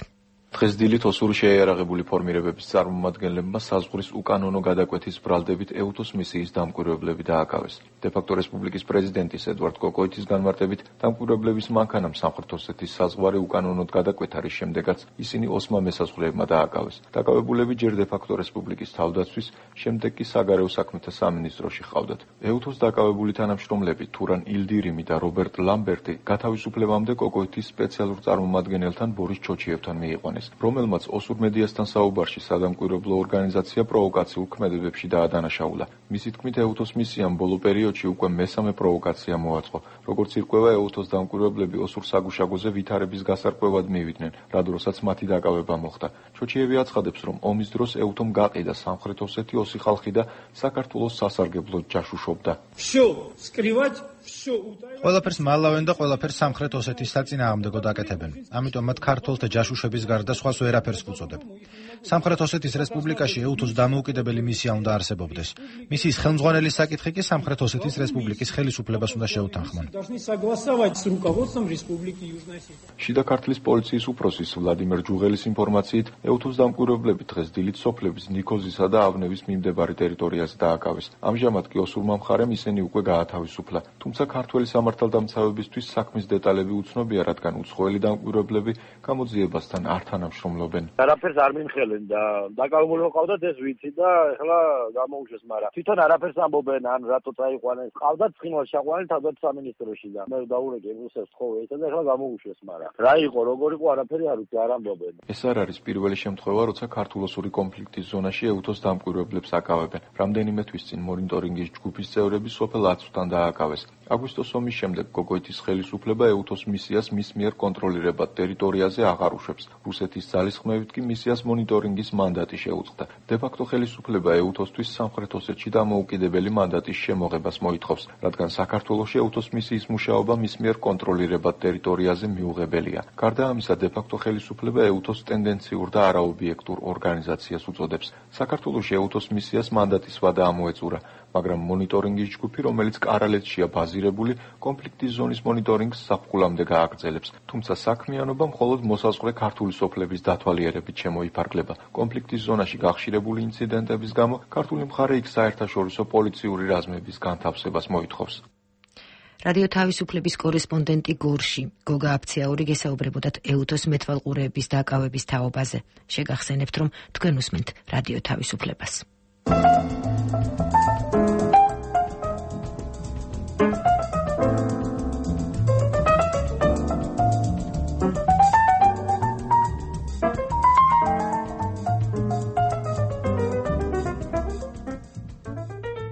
დღეს დილით ოსური შეიარაღებული ფორმირებების წარმომადგენლებმა საზღვრის უკანონო გადაკვეთის ბრალდებით ეუთოს მისიის დამკვირვებლები დააკავეს. დე-ფაქტო რესპუბლიკის პრეზიდენტის ედუარდ კოკოიტის განმარტებით, დამკვირვებლების მანქანამ სამხრეთ ოსეთის საზღვარი უკანონოდ გადაკვეთა, რის შემდეგაც ისინი ოსმა მესაზღვრეებმა დააკავეს. დაკავებულები ჯერ დე-ფაქტო რესპუბლიკის თავდაცვის, შემდეგ კი საგარეო საქმეთა სამინისტროში ჰყავდათ. ეუთოს დაკავებული თანამშრომლები თურან ილდირიმი და რობერტ ლამბერტი გათავისუფლებამდე კოკოიტის სპეციალურ წარმომადგენელთან ბორის ჩოჩიევთან მიიყვანეს, რომელმაც ოსურ მედიასთან საუბარში სადამკვირვებლო ორგანიზაცია პროვოკაციულ ქმედებებში დაადანაშაულა. მისი თქმით, ეუთოს მისიამ ბოლო პერიოდში უკვე მესამე პროვოკაცია მოაწყო. როგორც ირკვევა, ეუთოს დამკვირვებლები ოსურ საგუშაგოზე ვითარების გასარკვევად მივიდნენ, რა დროსაც მათი დაკავება მოხდა. ჩოჩიევი აცხადებს, რომ ომის დროს ეუთომ გაყიდა სამხრეთ ოსეთი, ოსი ხალხი და საქართველოს სასარგებლოდ ჯაშუშობდა. ყველაფერს მალავენ და ყველაფერს სამხრეთ ოსეთის საწინააღმდეგოდ აკეთებენ. ამიტომ მათ ქართველთა ჯაშუშების გარდა სხვას ვერაფერს ვუწოდებ. სამხრეთ ოსეთის რესპუბლიკაში ეუთოს დამოუკიდებელი მისია უნდა არსებობდეს. მისიის ხელმძღვანელის საკითხი კი სამხრეთ ოსეთის რესპუბლიკის ხელისუფლებას უნდა შეუთანხმონ. შიდა ქართლის პოლიციის უფროსის ვლადიმერ ჯუღელის ინფორმაციით, ეუთოს დამკვირვებლები დღეს დილით სოფლების ნიქოზისა და ავნევის მიმდებარე ტერიტორიაზე დააკავეს. ამჟამად კი ოსურმა მხარემ ისინი უკვე გაათავისუფლა, თუმცა თუმცა ქართველი სამართალდამცავებისთვის საქმის დეტალები უცნობია, რადგან უცხოელი დამკვირვებლები გამოძიებასთან არ თანამშრომლობენ. არაფერს არ მიმხელენ და დაკავებული ყავდათ ეს ვიცი და ეხლა გამოუშვეს, მაგრამ თვითონ არაფერს ამბობენ, ან რატო წაიყვანეს. ყავდათ ცხინვალ შაყვანი თავდაცვის სამინისტროში და მე დავურეკე რუსებს ხოვეით და ეხლა გამოუშვეს, მაგრამ რა იყო, როგორ იყო, არაფერი არ ვიცი, არ ამბობენ. ეს არ არის პირველი შემთხვევა, როცა ქართულ-ოსური კონფლიქტის ზონაში ეუთოს დამკვირვებლებს აკავებენ. რამდენიმე თვის წინ მონიტორინგის ჯგუფის წევრები სოფელ აცვთან დააკავეს. აგვისტოს ომის შემდეგ გოგოითის ხელისუფლება ეუთოს მისიას მის მიერ კონტროლირებად ტერიტორიაზე აღარ უშვებს. რუსეთის ძალისხმევით კი მისიას მონიტორინგის მანდატი შეუწყდა. დე-ფაქტო ხელისუფლება ეუთოსთვის სამხრეთ ოსეთში დამოუკიდებელი მანდატის შემოღებას მოითხოვს, რადგან საქართველოში ეუთოს მისიის მუშაობა მის მიერ კონტროლირებად ტერიტორიაზე მიუღებელია. გარდა ამისა, დე-ფაქტო ხელისუფლება ეუთოს ტენდენციურ და არაობიექტურ ორგანიზაციას უწოდებს. საქართველოში ეუთოს მისიას მანდატის ვადა ამოეწურა, მაგრამ მონიტორინგის ჯგუფი, რომელიც კარალეთშია ბაზირებული, კონფლიქტის ზონის მონიტორინგს საფხულამდე გააგრძელებს. თუმცა საქმიანობა მხოლოდ მოსაზღვრე ქართული სოფლების დათვალიერებით შემოიფარგლება. კონფლიქტის ზონაში გახშირებული ინციდენტების გამო ქართული მხარე იქ საერთაშორისო პოლიციური რაზმების განთავსებას მოითხოვს. რადიო თავისუფლების კორესპონდენტი გორში გოგა აფციაური გესაუბრებოდათ ეუთოს მეთვალყურეების დაკავების თაობაზე. შეგახსენებთ, რომ თქვენ უსმენთ რადიო თავისუფლებას.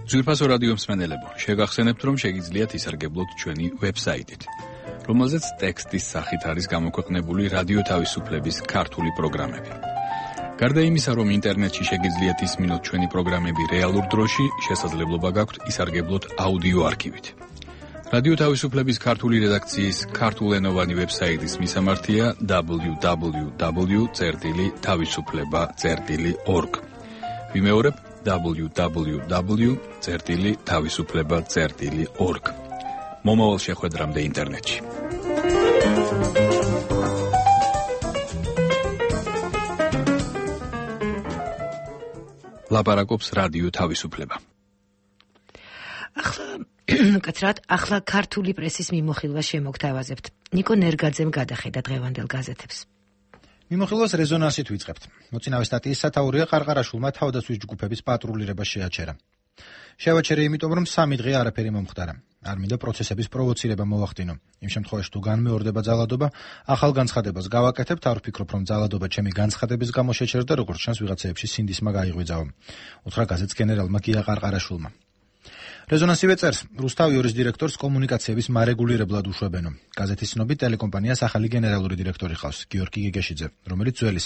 ძვირფასო რადიო მსმენელებო, შეგახსენებთ, რომ შეგიძლიათ ისარგებლოთ ჩვენი ვებსაიტით, რომელზეც ტექსტის სახით არის გამოქვეყნებული რადიო თავისუფლების ქართული პროგრამები. გარდა იმისა, რომ ინტერნეტში შეგიძლიათ ისმინოთ ჩვენი პროგრამები რეალურ დროში, შესაძლებლობა გაქვთ ისარგებლოთ აუდიო არქივით. რადიო თავისუფლების ქართული რედაქციის ქართულენოვანი ვებსაიტის მისამართია დაბლიუ დაბლიუ დაბლიუ წერტილი თავისუფლება წერტილი ორგ. ვიმეორებ დაბლიუ დაბლიუ დაბლიუ წერტილი თავისუფლება წერტილი ორგ. მომავალ შეხვედრამდე ინტერნეტში. ლაპარაკობს რადიო თავისუფლება. ახლა კაცრად, ახლა ქართული პრესის მიმოხილვას შემოგთავაზებთ. ნიკო ნერგაძემ გადახედა დღევანდელ გაზეთებს. მიმოხილვას რეზონანსით ვიწყებთ. მოწინავე სტატიის სათაურია ყარყარაშვილმა თავდაცვის ჯგუფების პატრულირება შეაჩერა. შევაჩერე იმიტომ, რომ სამი დღე არაფერი მომხდარა. არ მინდა პროცესების პროვოცირება მოვახდინო. იმ შემთხვევაში თუ განმეორდება ძალადობა, ახალ განცხადებას გავაკეთებთ, არ ვფიქრობ, რომ ძალადობა ჩემი განცხადების გამო შეჩერდა, როგორც ჩანს ვიღაცეებში სინდისმა გაიღვიძაო. უთხრა გაზეთს გენერალმა გია ყარყარაშვილმა. რეზონანსივე წერს, რუსთავიორის დირექტორს კომუნიკაციების მარეგულირებლად უშვებენო. გაზეთის ცნობით ტელეკომპანიას ახალი გენერალური დირექტორი ხავს, გიორგი გეგეშიძე, რომელიც ძველის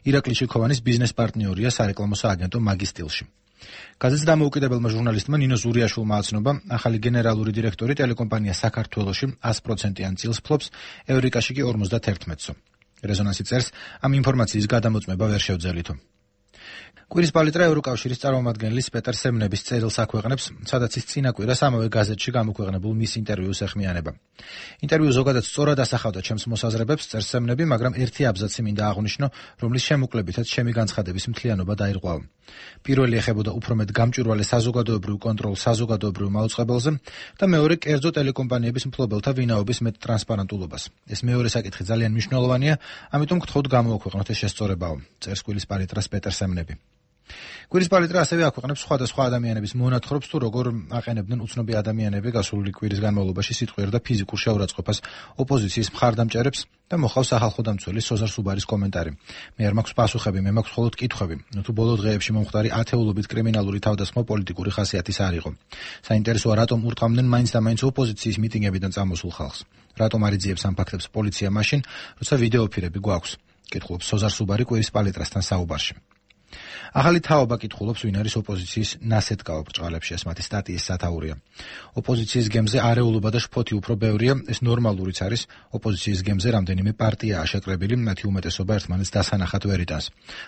ირაკლი შიქოვანის ბიზნეს პარტნიორია სარეკლამო სააგენტო მაგის სტილში. გაზეთის დამოუკიდებელმა ჟურნალისტმა ნინო ზურიაშვილმა აცნობა, ახალი გენერალური დირექტორი ტელეკომპანია საქართველოში sto პროცენტიან წილს ფლობს, ევრიკაში კი ორმოცდაათერთმეტსო. რეზონანსი წერს, ამ ინფორმაციის გადამოწმება ვერ შევძელითო. კვირის პალიტრა ევროკავშირის წარმომადგენლის პეტერ სემნების წერილს აქვეყნებს, სადაც ის წინა კვირას ამავე გაზეთში გამოქვეყნებულ მის ინტერვიუს ეხმიანება. ინტერვიუ ზოგადად სწორად ასახავდა ჩემს მოსაზრებებს, წერს სემნები, მაგრამ ერთი აბზაცი მინდა აღვნიშნო, რომლის შემოკვლებითაც ჩემი განცხადების მთლიანობა დაირღვაო. პირველი ეხებოდა უფრო მეტ გამჭვირვალე საზოგადოებრივ კონტროლს საზოგადოებრივ მაუწყებელზე და მეორე კერძო ტელეკომპანიების მფლობელთა ვინაობის მეტ ტრანსპარენტულობას. ეს მეორე საკითხი ძალიან მნიშვნელოვანია, ამიტომ გთხოვთ გამოაქვეყნოთ ეს შესწორებაო, წერს კვირის პალიტრას პეტერ სემნები. კვირის პალიტრა ასევე აქვეყნებს სხვადასხვა ადამიანების მონათხრობს თუ როგორ აყენებდნენ უცნობი ადამიანები გასული კვირის განმავლობაში სიტყვიერ და ფიზიკურ შეურაცხყოფას ოპოზიციის მხარდამჭერებს და მოხავს სახალხო დამცველი სოზარ სუბარის კომენტარი. მე არ მაქვს პასუხები, მე მაქვს მხოლოდ კითხვები. თუ ბოლო დღეებში მომხდარი ათეულობით კრიმინალური თავდასხმა პოლიტიკური ხასიათის არ იყო. საინტერესოა, რატომ ურტყამდნენ მაინც და მაინც ოპოზიციის მიტინგებიდან წამოსულ ხალხს. რატომ არ იძიებს ამ ფაქტებს პოლიცია მაშინ, როცა ვიდეოფირები გვაქვს? კითხულობს სოზარ სუბარი კვირის პალიტრასთან საუბარში. ახალი თაობა კითხულობს, ვინ არის ოპოზიციის ნასეთკაო ბრჭყალებში, ეს მათი სტატიის სათაურია. ოპოზიციის გემზე არეულობა და შფოთი უფრო ბევრია, ეს ნორმალურიც არის. ოპოზიციის გემზე რამდენიმე პარტიაა შეკრებილი, მათი უმეტესობა ერთმანეთს დასანახად ვერ იტანს.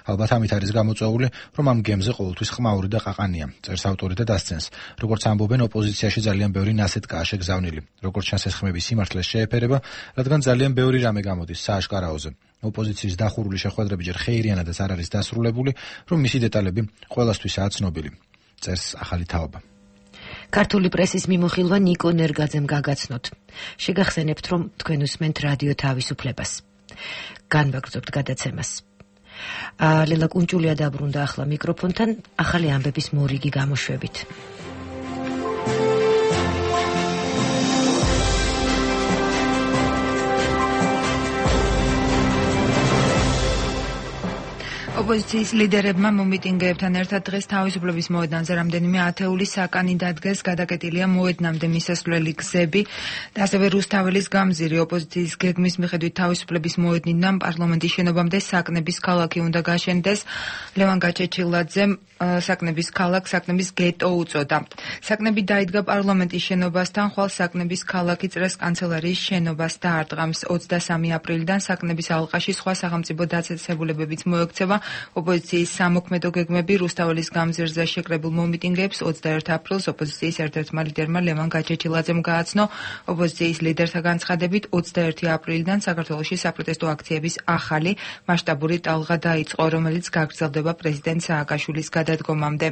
ალბათ ამით არის გამოწვეული, რომ ამ გემზე ყოველთვის ხმაური და ყაყანია, წერს ავტორი და დასცენს. როგორც ამბობენ, ოპოზიციაში ძალიან ბევრი ნასეთკაა შეგზავნილი. როგორც ჩანს, ეს ხმები სიმართლეს შეეფერება, რადგან ძალიან ბევრი რამე გამოდის სააშკარაოზე. ოპოზიციის დახურული შეხვედრები ჯერ ხეირიანადაც არ არის დასრულებული, რომ მისი დეტალები ყველასთვისაა ცნობილი, წერს ახალი თაობა. ქართული პრესის მიმოხილვა ნიკო ნერგაძემ გაგაცნოთ. შეგახსენებთ, რომ თქვენ უსმენთ რადიო თავისუფლებას. განვაგრძობთ გადაცემას. ლელა კუნჭულია დაბრუნდა ახლა მიკროფონთან, ახალი ამბების მორიგი გამოშვებით. ოპოზიციის ლიდერებმა მომიტინგეებთან ერთად დღეს თავისუფლების მოედანზე რამდენიმე ათეული საკანი დადგეს, გადაკეტილია მოედნამდე მისასვლელი გზები და ასევე რუსთაველის გამზირი. ოპოზიციის გეგმის მიხედვით თავისუფლების მოედნიდან პარლამენტის შენობამდე საკნების ქალაქი უნდა გაშენდეს. ლევან გაჩეჩილაძემ საკნების ქალაქ საკნების გეტო უწოდა. საკნები დაიდგა პარლამენტის შენობასთან, ხვალ საკნების ქალაქი წრეს კანცელარიის შენობას დაარტყამს. ოცდასამი აპრილიდან საკნების ალყაში სხვა სახელმწიფო დაწესებულებებიც მოექცევა. ოპოზიციის სამოქმედო გეგმები რუსთაველის გამზირზე შეკრებულ მომიტინგეებს ოცდაერთ აპრილს ოპოზიციის ერთ-ერთმა ლიდერმა ლევან გაჩეჩილაძემ გააცნო. ოპოზიციის ლიდერთა განცხადებით ოცდაერთი აპრილიდან საქართველოში საპროტესტო აქციების ახალი მასშტაბური ტალღა დაიწყო, რომელიც გაგრძელდება პრეზიდენტ სააკაშვილის გადადგომამდე.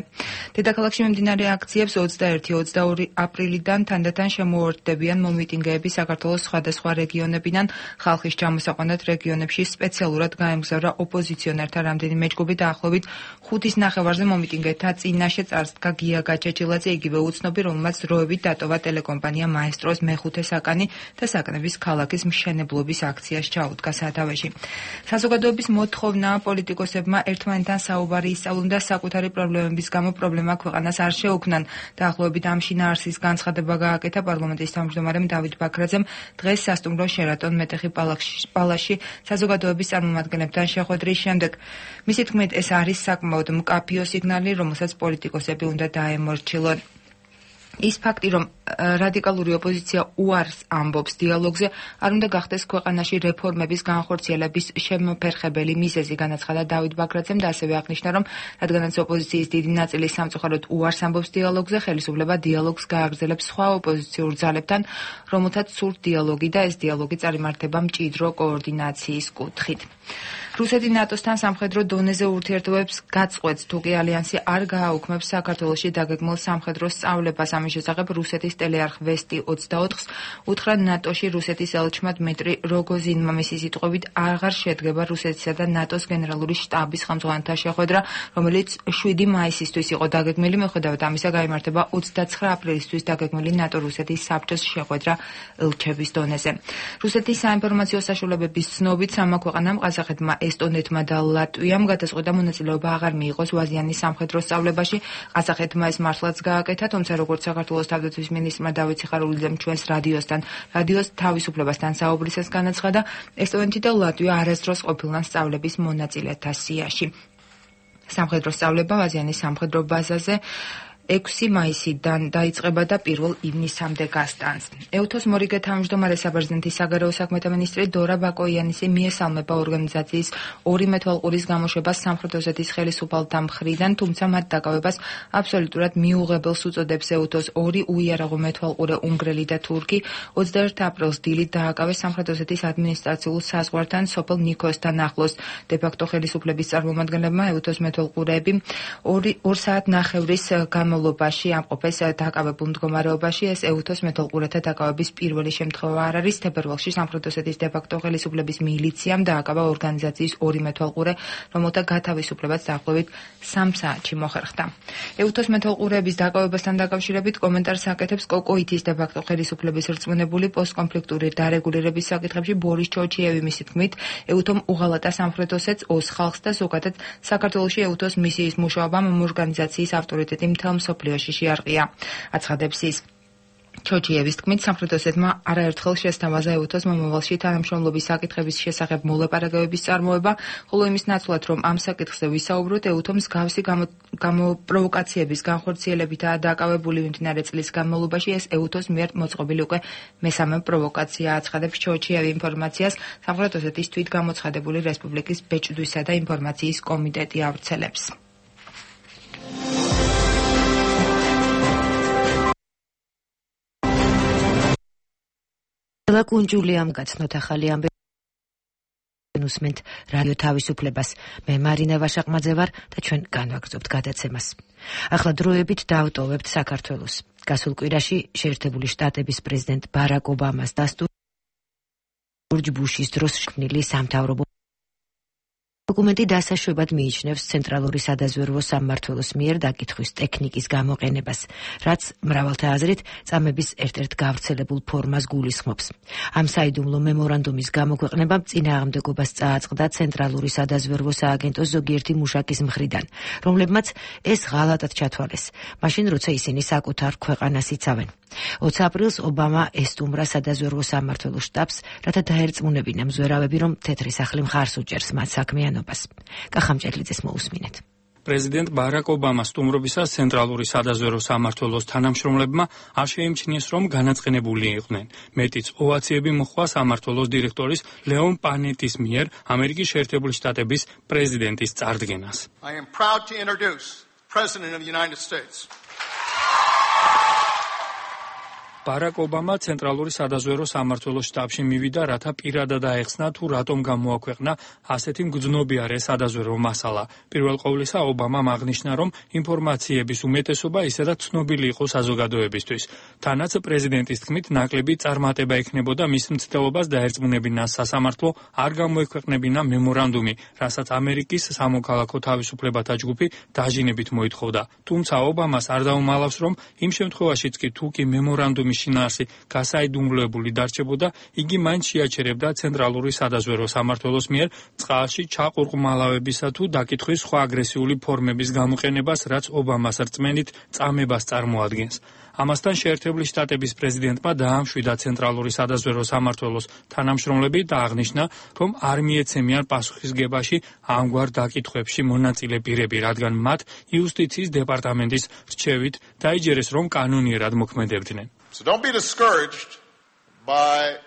დედაქალაქში მიმდინარე აქციებს ოცდაერთი ოცდაორი აპრილიდან თანდათან შემოუერთდებიან მომიტინგეები საქართველოს სხვადასხვა რეგიონებიდან. ხალხის ჩამოსაყვანად რეგიონებში სპეციალურად გაემგზავრა ოპოზიციონერთა რამდენიმე ჯგუფი, დაახლოებით ხუთის ნახევარზე მომიტინგეთა წინაშე წარსდგა გია გაჩეჩილაძე, იგივე უცნობი, რომელმაც დროებით დატოვა ტელეკომპანია მაესტროს მეხუთე საკანი და საკნების ქალაქის მშენებლობის აქციას ჩაუდგა სათავეში. საზოგადოების მოთხოვნა პოლიტიკოსებმა ერთმანეთთან საუბარი ისწავლონ და საკუთარი პრობლემების გამო პრობლემა ქვეყანას არ შეუქმნან. დაახლოებით ამ შინაარსის განცხადება გააკეთა პარლამენტის თავმჯდომარემ დავით ბაქრაძემ დღეს სასტუმრო შერატონ მეტეხი პალაში საზოგადოების წარმომადგენლებთან შეხვედრის შემდეგ. მისი თქმით, ეს არის საკმაოდ მკაფიო სიგნალი, რომელსაც პოლიტიკოსები უნდა დაემორჩილონ. ის ფაქტი, რომ რადიკალური ოპოზიცია უარს ამბობს დიალოგზე, არ უნდა გახდეს ქვეყანაში რეფორმების განხორციელების შემოფერხებელი მიზეზი, განაცხადა დავით ბაქრაძემ და ასევე აღნიშნა, რომ რადგანაც ოპოზიციის დიდი ნაწილი სამწუხაროდ უარს ამბობს დიალოგზე, ხელისუფლება დიალოგს გააგრძელებს სხვა ოპოზიციურ ძალებთან, რომელთაც სურთ დიალოგი და ეს დიალოგი წარიმართება მჭიდრო კოორდინაციის კუთხით. რუსეთი ნატოსთან სამხედრო დონეზე ურთიერთობებს გაწყვეტს, თუკი ალიანსი არ გააუქმებს საქართველოში დაგეგმილ სამხედრო სწავლებას. ამის შესახებ რუსეთის ტელეარხ ვესტი ოცდაოთხს უთხრა ნატოში რუსეთის ელჩმა დმიტრი როგოზინმა. მისი სიტყვებით, აღარ შედგება რუსეთისა და ნატოს გენერალური შტაბის ხელმძღვანელთა შეხვედრა, რომელიც შვიდი მაისისთვის იყო დაგეგმილი. მიუხედავად ამისა, გაიმართება ოცდაცხრა აპრილისთვის დაგეგმილი ნატო-რუსეთის საბჭოს შეხვედრა ელჩების დონეზე. რუსეთის საინფორმაციო საშუალებების ცნობით, სამა ქვეყანამ ყაზახეთმა, ესტონეთმა და ლატვიამ გადაწყვეტა მონაწილეობა აღარ მიიღოს ვაზიანის სამხედრო სწავლებაში. ყაზახეთმა ეს მართლაც გააკეთა, თუმცა როგორც საქართველოს თავდაცვის მინისტრმა დავით სიხარულიძემ ჩვენს რადიოსთან რადიოს თავისუფლებასთან საუბრისას განაცხადა, ესტონეთი და ლატვია არასდროს ყოფილან სწავლების მონაწილეთა სიაში. სამხედრო სწავლება ვაზიანის სამხედრო ბაზაზე ექვსი მაისიდან დაიწყება და პირველ ივნისამდე გასტანს. ეუთოს მორიგე თავმჯდომარე საბერძნეთის საგარეო საქმეთა მინისტრი დორა ბაკოიანისი მიესალმება ორგანიზაციის ორი მეთვალყურის გამოშვებას სამხრეთ ოსეთის ხელისუფალთა მხრიდან, თუმცა მათ დაკავებას აბსოლუტურად მიუღებელს უწოდებს. ეუთოს ორი უიარაღო მეთვალყურე უნგრელი და თურქი ოცდაერთ აპრილს დილით დააკავეს სამხრეთ ოსეთის ადმინისტრაციულ საზღვართან სოფელ ნიქოსთან ახლოს. დე-ფაქტო ხელისუფლების წარმომადგენლებმა ეუთოს მეთვალყურეები ორ საათ ნახევრის გამო მოლობაში ამყოფეს დაკავებულ მდგომარეობაში. ეს ეუთოს მეთვალყურეთა დაკავების პირველი შემთხვევა არ არის. თებერვალში სამხრეთ ოსეთის დე-ფაქტო ხელისუფლების მილიციამ დააკავა ორგანიზაციის ორი მეთვალყურე, რომელთა გათავისუფლებაც დაახლოებით სამ საათში მოხერხდა. ეუთოს მეთვალყურეების დაკავებასთან დაკავშირებით კომენტარს აკეთებს კოკოითის დე-ფაქტო ხელისუფლების რწმუნებული პოსტკონფლიქტური დარეგულირების საკითხებში ბორის ჩოჩიევი. მისი თქმით, ეუთომ უღალატა სამხრეთ ოსეთს, ოს ხალხს და ზოგადად საქართველოში ეუთოს მისიის მუშაობამ ორგანიზაციის ავტორიტეტი მთელ მსოფლიოში შეარყია. აცხადებს ის. ჩოჩიევის თქმით, სამხრეთ ოსეთმა არაერთხელ შესთავაზა ეუთოს მომავალში თანამშრომლობის საკითხების შესახებ მოლაპარაკებების წარმოება, ხოლო იმის ნაცვლად, რომ ამ საკითხზე ვისაუბროთ, ეუთომ მსგავსი გამოპროვოკაციების განხორციელებითაა დაკავებული. მიმდინარე წლის განმავლობაში ეს ეუთოს მიერ მოწყობილი უკვე მესამე პროვოკაცია. აცხადებს ჩოჩიევი. ინფორმაციას სამხრეთ ოსეთის თვითგამოცხადებული რესპუბლიკის ბეჭდვისა და ინფორმაციის კომიტეტი ავრცელებს. ლელა კუნჭულიამ გაცნოთ ახალი ამბები უსმენთ რადიო თავისუფლებას. მე მარინა ვაშაყმაძე ვარ და ჩვენ განვაგრძობთ გადაცემას. ახლა დროებით დავტოვებთ საქართველოს. გასულ კვირაში შეერთებული შტატების პრეზიდენტ ბარაკ ობამას დასტურით ჯორჯ ბუშის დროს შექმნილი სამთავრობო დოკუმენტი დასაშვებად მიიჩნევს ცენტრალური სადაზვერვო სამმართველოს მიერ დაკითხვის ტექნიკის გამოყენებას, რაც მრავალთა აზრით წამების ერთ-ერთ გავრცელებულ ფორმას გულისხმობს. ამ საიდუმლო მემორანდუმის გამოქვეყნებამ წინააღმდეგობას წააწყდა ცენტრალური სადაზვერვო სააგენტოს ზოგიერთი მუშაკის მხრიდან, რომლებმაც ეს ღალატად ჩათვალეს, მაშინ როცა ისინი საკუთარ ქვეყანას იცავენ. ოცი აპრილს ობამა ესტუმრა სადაზვერვო სამმართველოს შტაბს, რათა დაერწმუნებინა მზვერავები, რომ თეთრი სახლი მხარს უჭერს მათ საქმიანობას. კახამჭედლიძეს მოусმინეთ. პრეზიდენტ ბარაკ ობამას სტუმრობისას ცენტრალური სადაზვერვო სამმართველოს თანამშრომლებმა არ შეიმჩნიეს, რომ განაწყენებული იყვნენ. მეტიც ოვაციები მოჰყვა სამმართველოს დირექტორის ლეონ პანეტის მიერ ამერიკის შეერთებული შტატების პრეზიდენტის წარდგენას. I am proud to introduce President of the United States. ბარაკ ობამა ცენტრალური სადაზვერვო სამმართველოს შტაბში მივიდა, რათა პირადად აეხსნა თუ რატომ გამოაქვეყნა ასეთი მგრძნობიარე სადაზვერვო მასალა. პირველ ყოვლისა ობამამ აღნიშნა, რომ ინფორმაციების უმეტესობა ისედაც ცნობილი იყო საზოგადოებისთვის. თანაც პრეზიდენტის თქმით, ნაკლები წარმატება ექნებოდა მის მცდელობას დაერწმუნებინა სასამართლო არ გამოექვეყნებინა მემორანდუმი, რასაც ამერიკის სამოქალაქო თავისუფლებათა ჯგუფი დაჟინებით მოითხოვდა. თუმცა ობამას არ დაუმალავს, რომ იმ შემთხვევაშიც კი თუ კი მემორანდუმი შინაარსი გასაიდუმლოებული დარჩებოდა, იგი მაინც შეაჩერებდა ცენტრალური სადაზვერვო სამმართველოს მიერ წყალში ჩაყურყმალავებისა თუ დაკითხვის სხვა აგრესიული ფორმების გამოყენებას, რაც ობამას რწმენით წამებას წარმოადგენს. ამასთან შეერთებული შტატების პრეზიდენტმა დაამშვიდა ცენტრალური სადაზვერვო სამმართველოს თანამშრომლები და აღნიშნა, რომ არ მიეცემიან პასუხისგებაში ამგვარ დაკითხვებში მონაწილე პირები, რადგან მათ იუსტიციის დეპარტამენტის რჩევით დაიჯერეს, რომ კანონიერად მოქმედებდნენ. So don't be discouraged by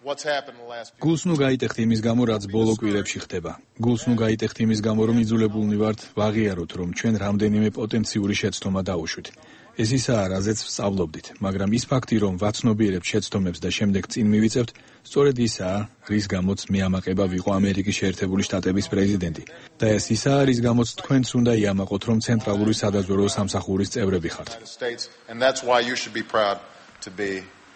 what's happened in the last few გულს ნუ გაიტეხთ იმის გამო, რაც ბოლო კვირებში ხდება. გულს ნუ გაიტეხთ იმის გამო, რომ იძულებულნი ვართ ვაღიაროთ, რომ ჩვენ რამდენიმე პოტენციური შეცდომა დავუშვით. ეს ისაა, რაზეც ვსწავლობდით, მაგრამ ის ფაქტი, რომ ვაცნობიერებთ შეცდომებს და შემდეგ წინ მივიწევთ, სწორედ ისაა, რის გამოც მე ამაყება ვიყო ამერიკის შეერთებული შტატების პრეზიდენტი. და ეს ისაა, რის გამოც თქვენც უნდა იამაყოთ, რომ ცენტრალური სადაზვერვო სამსახურის წევრები ხართ. and that's why you should be proud to be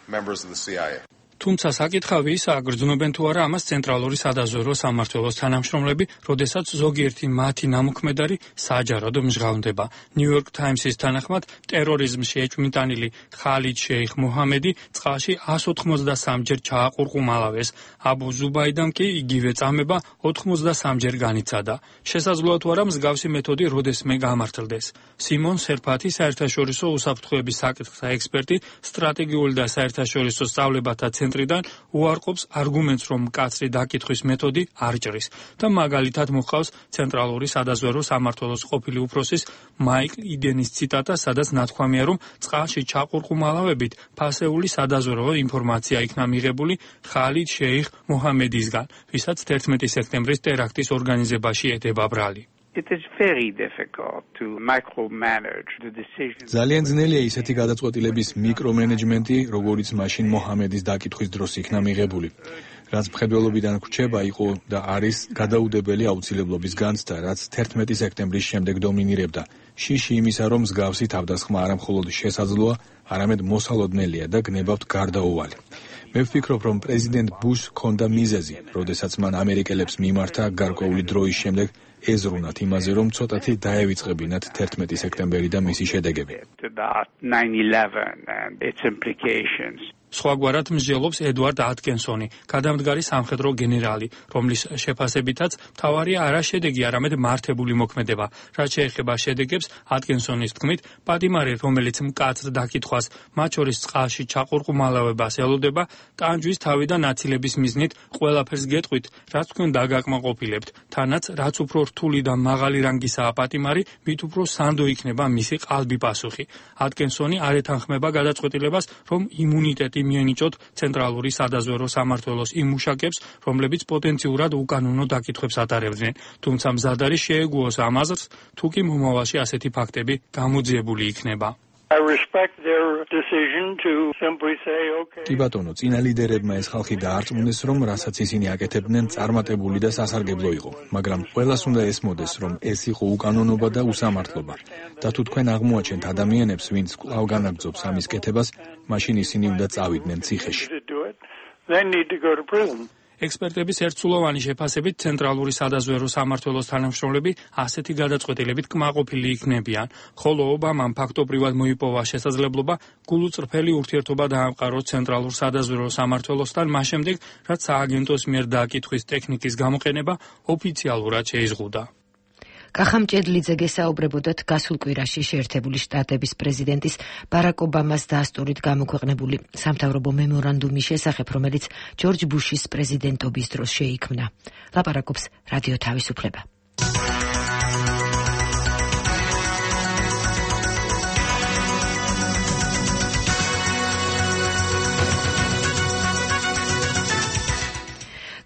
members of the C I A. თუმცა საკითხავი ისაა, გრძნობენ თუ არა ამას ცენტრალური სადაზვერვო სამმართველოს თანამშრომლები, როდესაც ზოგიერთი მათი ნამოქმედარი საჯაროდ მჟღავნდება. New York Times-ის თანახმად, ტერორიზმში ეჭვმიტანილი ხალიდ შეიხ მოჰამედი წყალში εκατს ოთხმოცდასამჯერ ჯერ ჩააყურყუმალავეს. აბუ ზუბაიდამ კი იგივე წამება ოთხმოცდასამჯერ ჯერ განიცადა. შესაძლოა თუ არა მსგავსი მეთოდი როდესმე გამართლდეს. სიმონ სერფათი, საერთაშორისო უსაფრთხოების საკითხთა ექსპერტი, სტრატეგიული და საერთაშორისო სწავლებათა ცენტრიდან უარყოფს არგუმენტს, რომ მკაცრი დაკითხვის მეთოდი არ ჭრის და მაგალითად მოჰყავს ცენტრალური სადაზვერვო სამმართველოს ყოფილი უფროსის მაიკლ იდენის ციტატა, სადაც ნათქვამია, რომ წყალში ჩაყურყუმალავებით ფასეული სადაზვერვო ინფორმაცია იქნა მიღებული ხალიდ შეიხ მოჰამედისგან, ვისაც თერთმეტი სექტემბრის ტერაქტის ორგანიზებაში ეტება ბრალი. It is very difficult to micromanage the decisions. ძალიან ძნელია ისეთი გადაწყვეტილების მიკრომენეჯმენტი, როგორიც მაშინ მოჰამედის დაკითხვის დროს იქნა მიღებული. რაც მხედველობიდან გვჩება იყო და არის გადაუდებელი აუცილებლობის განცდა, რაც თერთმეტი სექტემბრის შემდეგ დომინირებდა. შიში იმისა, რომ მსგავსი თავდასხმა არა მხოლოდ შესაძლოა, არამედ მოსალოდნელია და გნებავთ გარდაუვალი. მე ვფიქრობ, რომ პრეზიდენტ ბუშს ჰქონდა მიზეზი, როდესაც მან ამერიკელებს მიმართა გარკვეული დროის შემდეგ ეზრუნათ იმაზე, რომ ცოტათი დაევიწყებინათ თერთმეტი სექტემბერი და მისი შედეგები. nine eleven and its implications. სხვაგვარად მსჯელობს ედვარდ ატკინსონი, გადამდგარი სამხედრო გენერალი, რომლის შეფასებითაც მთავარია არა შედეგი, არამედ მართებული მოქმედება. რაც შეეხება შედეგებს, ატკინსონის თქმით, პატიმარი, რომელიც მკაცრ დაკითხვას, მათ შორის წყალში ჩაყურყუმალავებას ელოდება, ტანჯვის თავიდან აცილების მიზნით ყველაფერს გეტყვით, რაც თქვენ დაგაკმაყოფილებთ. თანაც, რაც უფრო რთული და მაღალი რანგისაა პატიმარი, მით უფრო სანდო იქნება მისი ყალბი პასუხი. ატკინსონი არ ეთანხმება გადაწყვეტილებას, რომ იმუნიტეტი მიენიჭოთ ცენტრალური სადაზვერვო სამმართველოს იმ მუშაკებს, რომლებიც პოტენციურად უკანონო დაკითხვებს ატარებდნენ. თუმცა მზად არის შეეგუოს ამ აზრს, თუ კი მომავალში ასეთი ფაქტები გამოძიებული იქნება. I respect their decision to simply say okay. კი ბატონო, წინა ლიდერებმა ეს ხალხი დაარწმუნეს, რომ რასაც ისინი აკეთებდნენ, წარმატებული და სასარგებლო იყო, მაგრამ ყველას უნდა ესმოდეს, რომ ეს იყო უკანონობა და უსამართლობა. და თუ თქვენ აღმოაჩენთ ადამიანებს, ვინც კვლავ განაგრძობს ამის კეთებას, მაშინ ისინი უნდა წავიდნენ ციხეში. They need to go to prison. ექსპერტების ერთსულოვანი შეფასებით ცენტრალური სადაზვერო სამმართველოს თანამშრომლები ასეთი გადაწყვეტილებით კმაყოფილი იქნებიან, ხოლო ობამამ ფაქტობრივად მოიპოვა შესაძლებლობა გულუწრფელი ურთიერთობა დაამყაროს ცენტრალურ სადაზვერო სამმართველოსთან, მას შემდეგ, რაც სააგენტოს მიერ დააკითხვის ტექნიკის გამოყენება ოფიციალურად შეიზღუდა. კახამ ჭედლიძე გესაუბრებოდათ გასულ კვირაში შეერთებული შტატების პრეზიდენტის ბარაკ ობამას დასტურით გამოქვეყნებული სამთავრობო მემორანდუმის შესახებ, რომელიც ჯორჯ ბუშის პრეზიდენტობის დროს შეიქმნა. ლაპარაკობს რადიო თავისუფლება.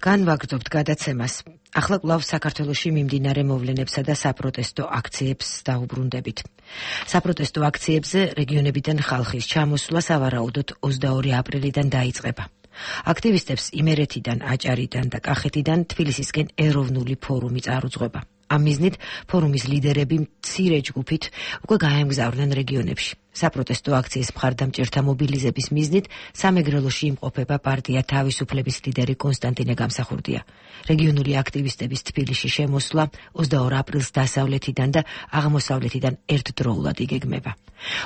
განვაგრძობთ გადაცემას. ახლა კვლავ საქართველოში მიმდინარე მოვლენებსა და საპროტესტო აქციებს დაუბრუნდებით. საპროტესტო აქციებზე რეგიონებიდან ხალხის ჩამოსვლა სავარაუდოდ ოცდაორი აპრილიდან დაიწყება. აქტივისტებს იმერეთიდან, აჭარიდან და კახეთიდან თბილისისკენ ეროვნული ფორუმი წარუძღვება. ამ მიზნით ფორუმის ლიდერები მცირე ჯგუფით უკვე გაემგზავრნენ რეგიონებში. საპროტესტო აქციის მხარდამჭერთა მობილიზების მიზნით სამეგრელოში იმყოფება პარტია თავისუფლების ლიდერი კონსტანტინე გამსახურდია. რეგიონული აქტივისტების თბილისში შემოსვლა ოცდაორ აპრილს დასავლეთიდან და აღმოსავლეთიდან ერთდროულად იგეგმება.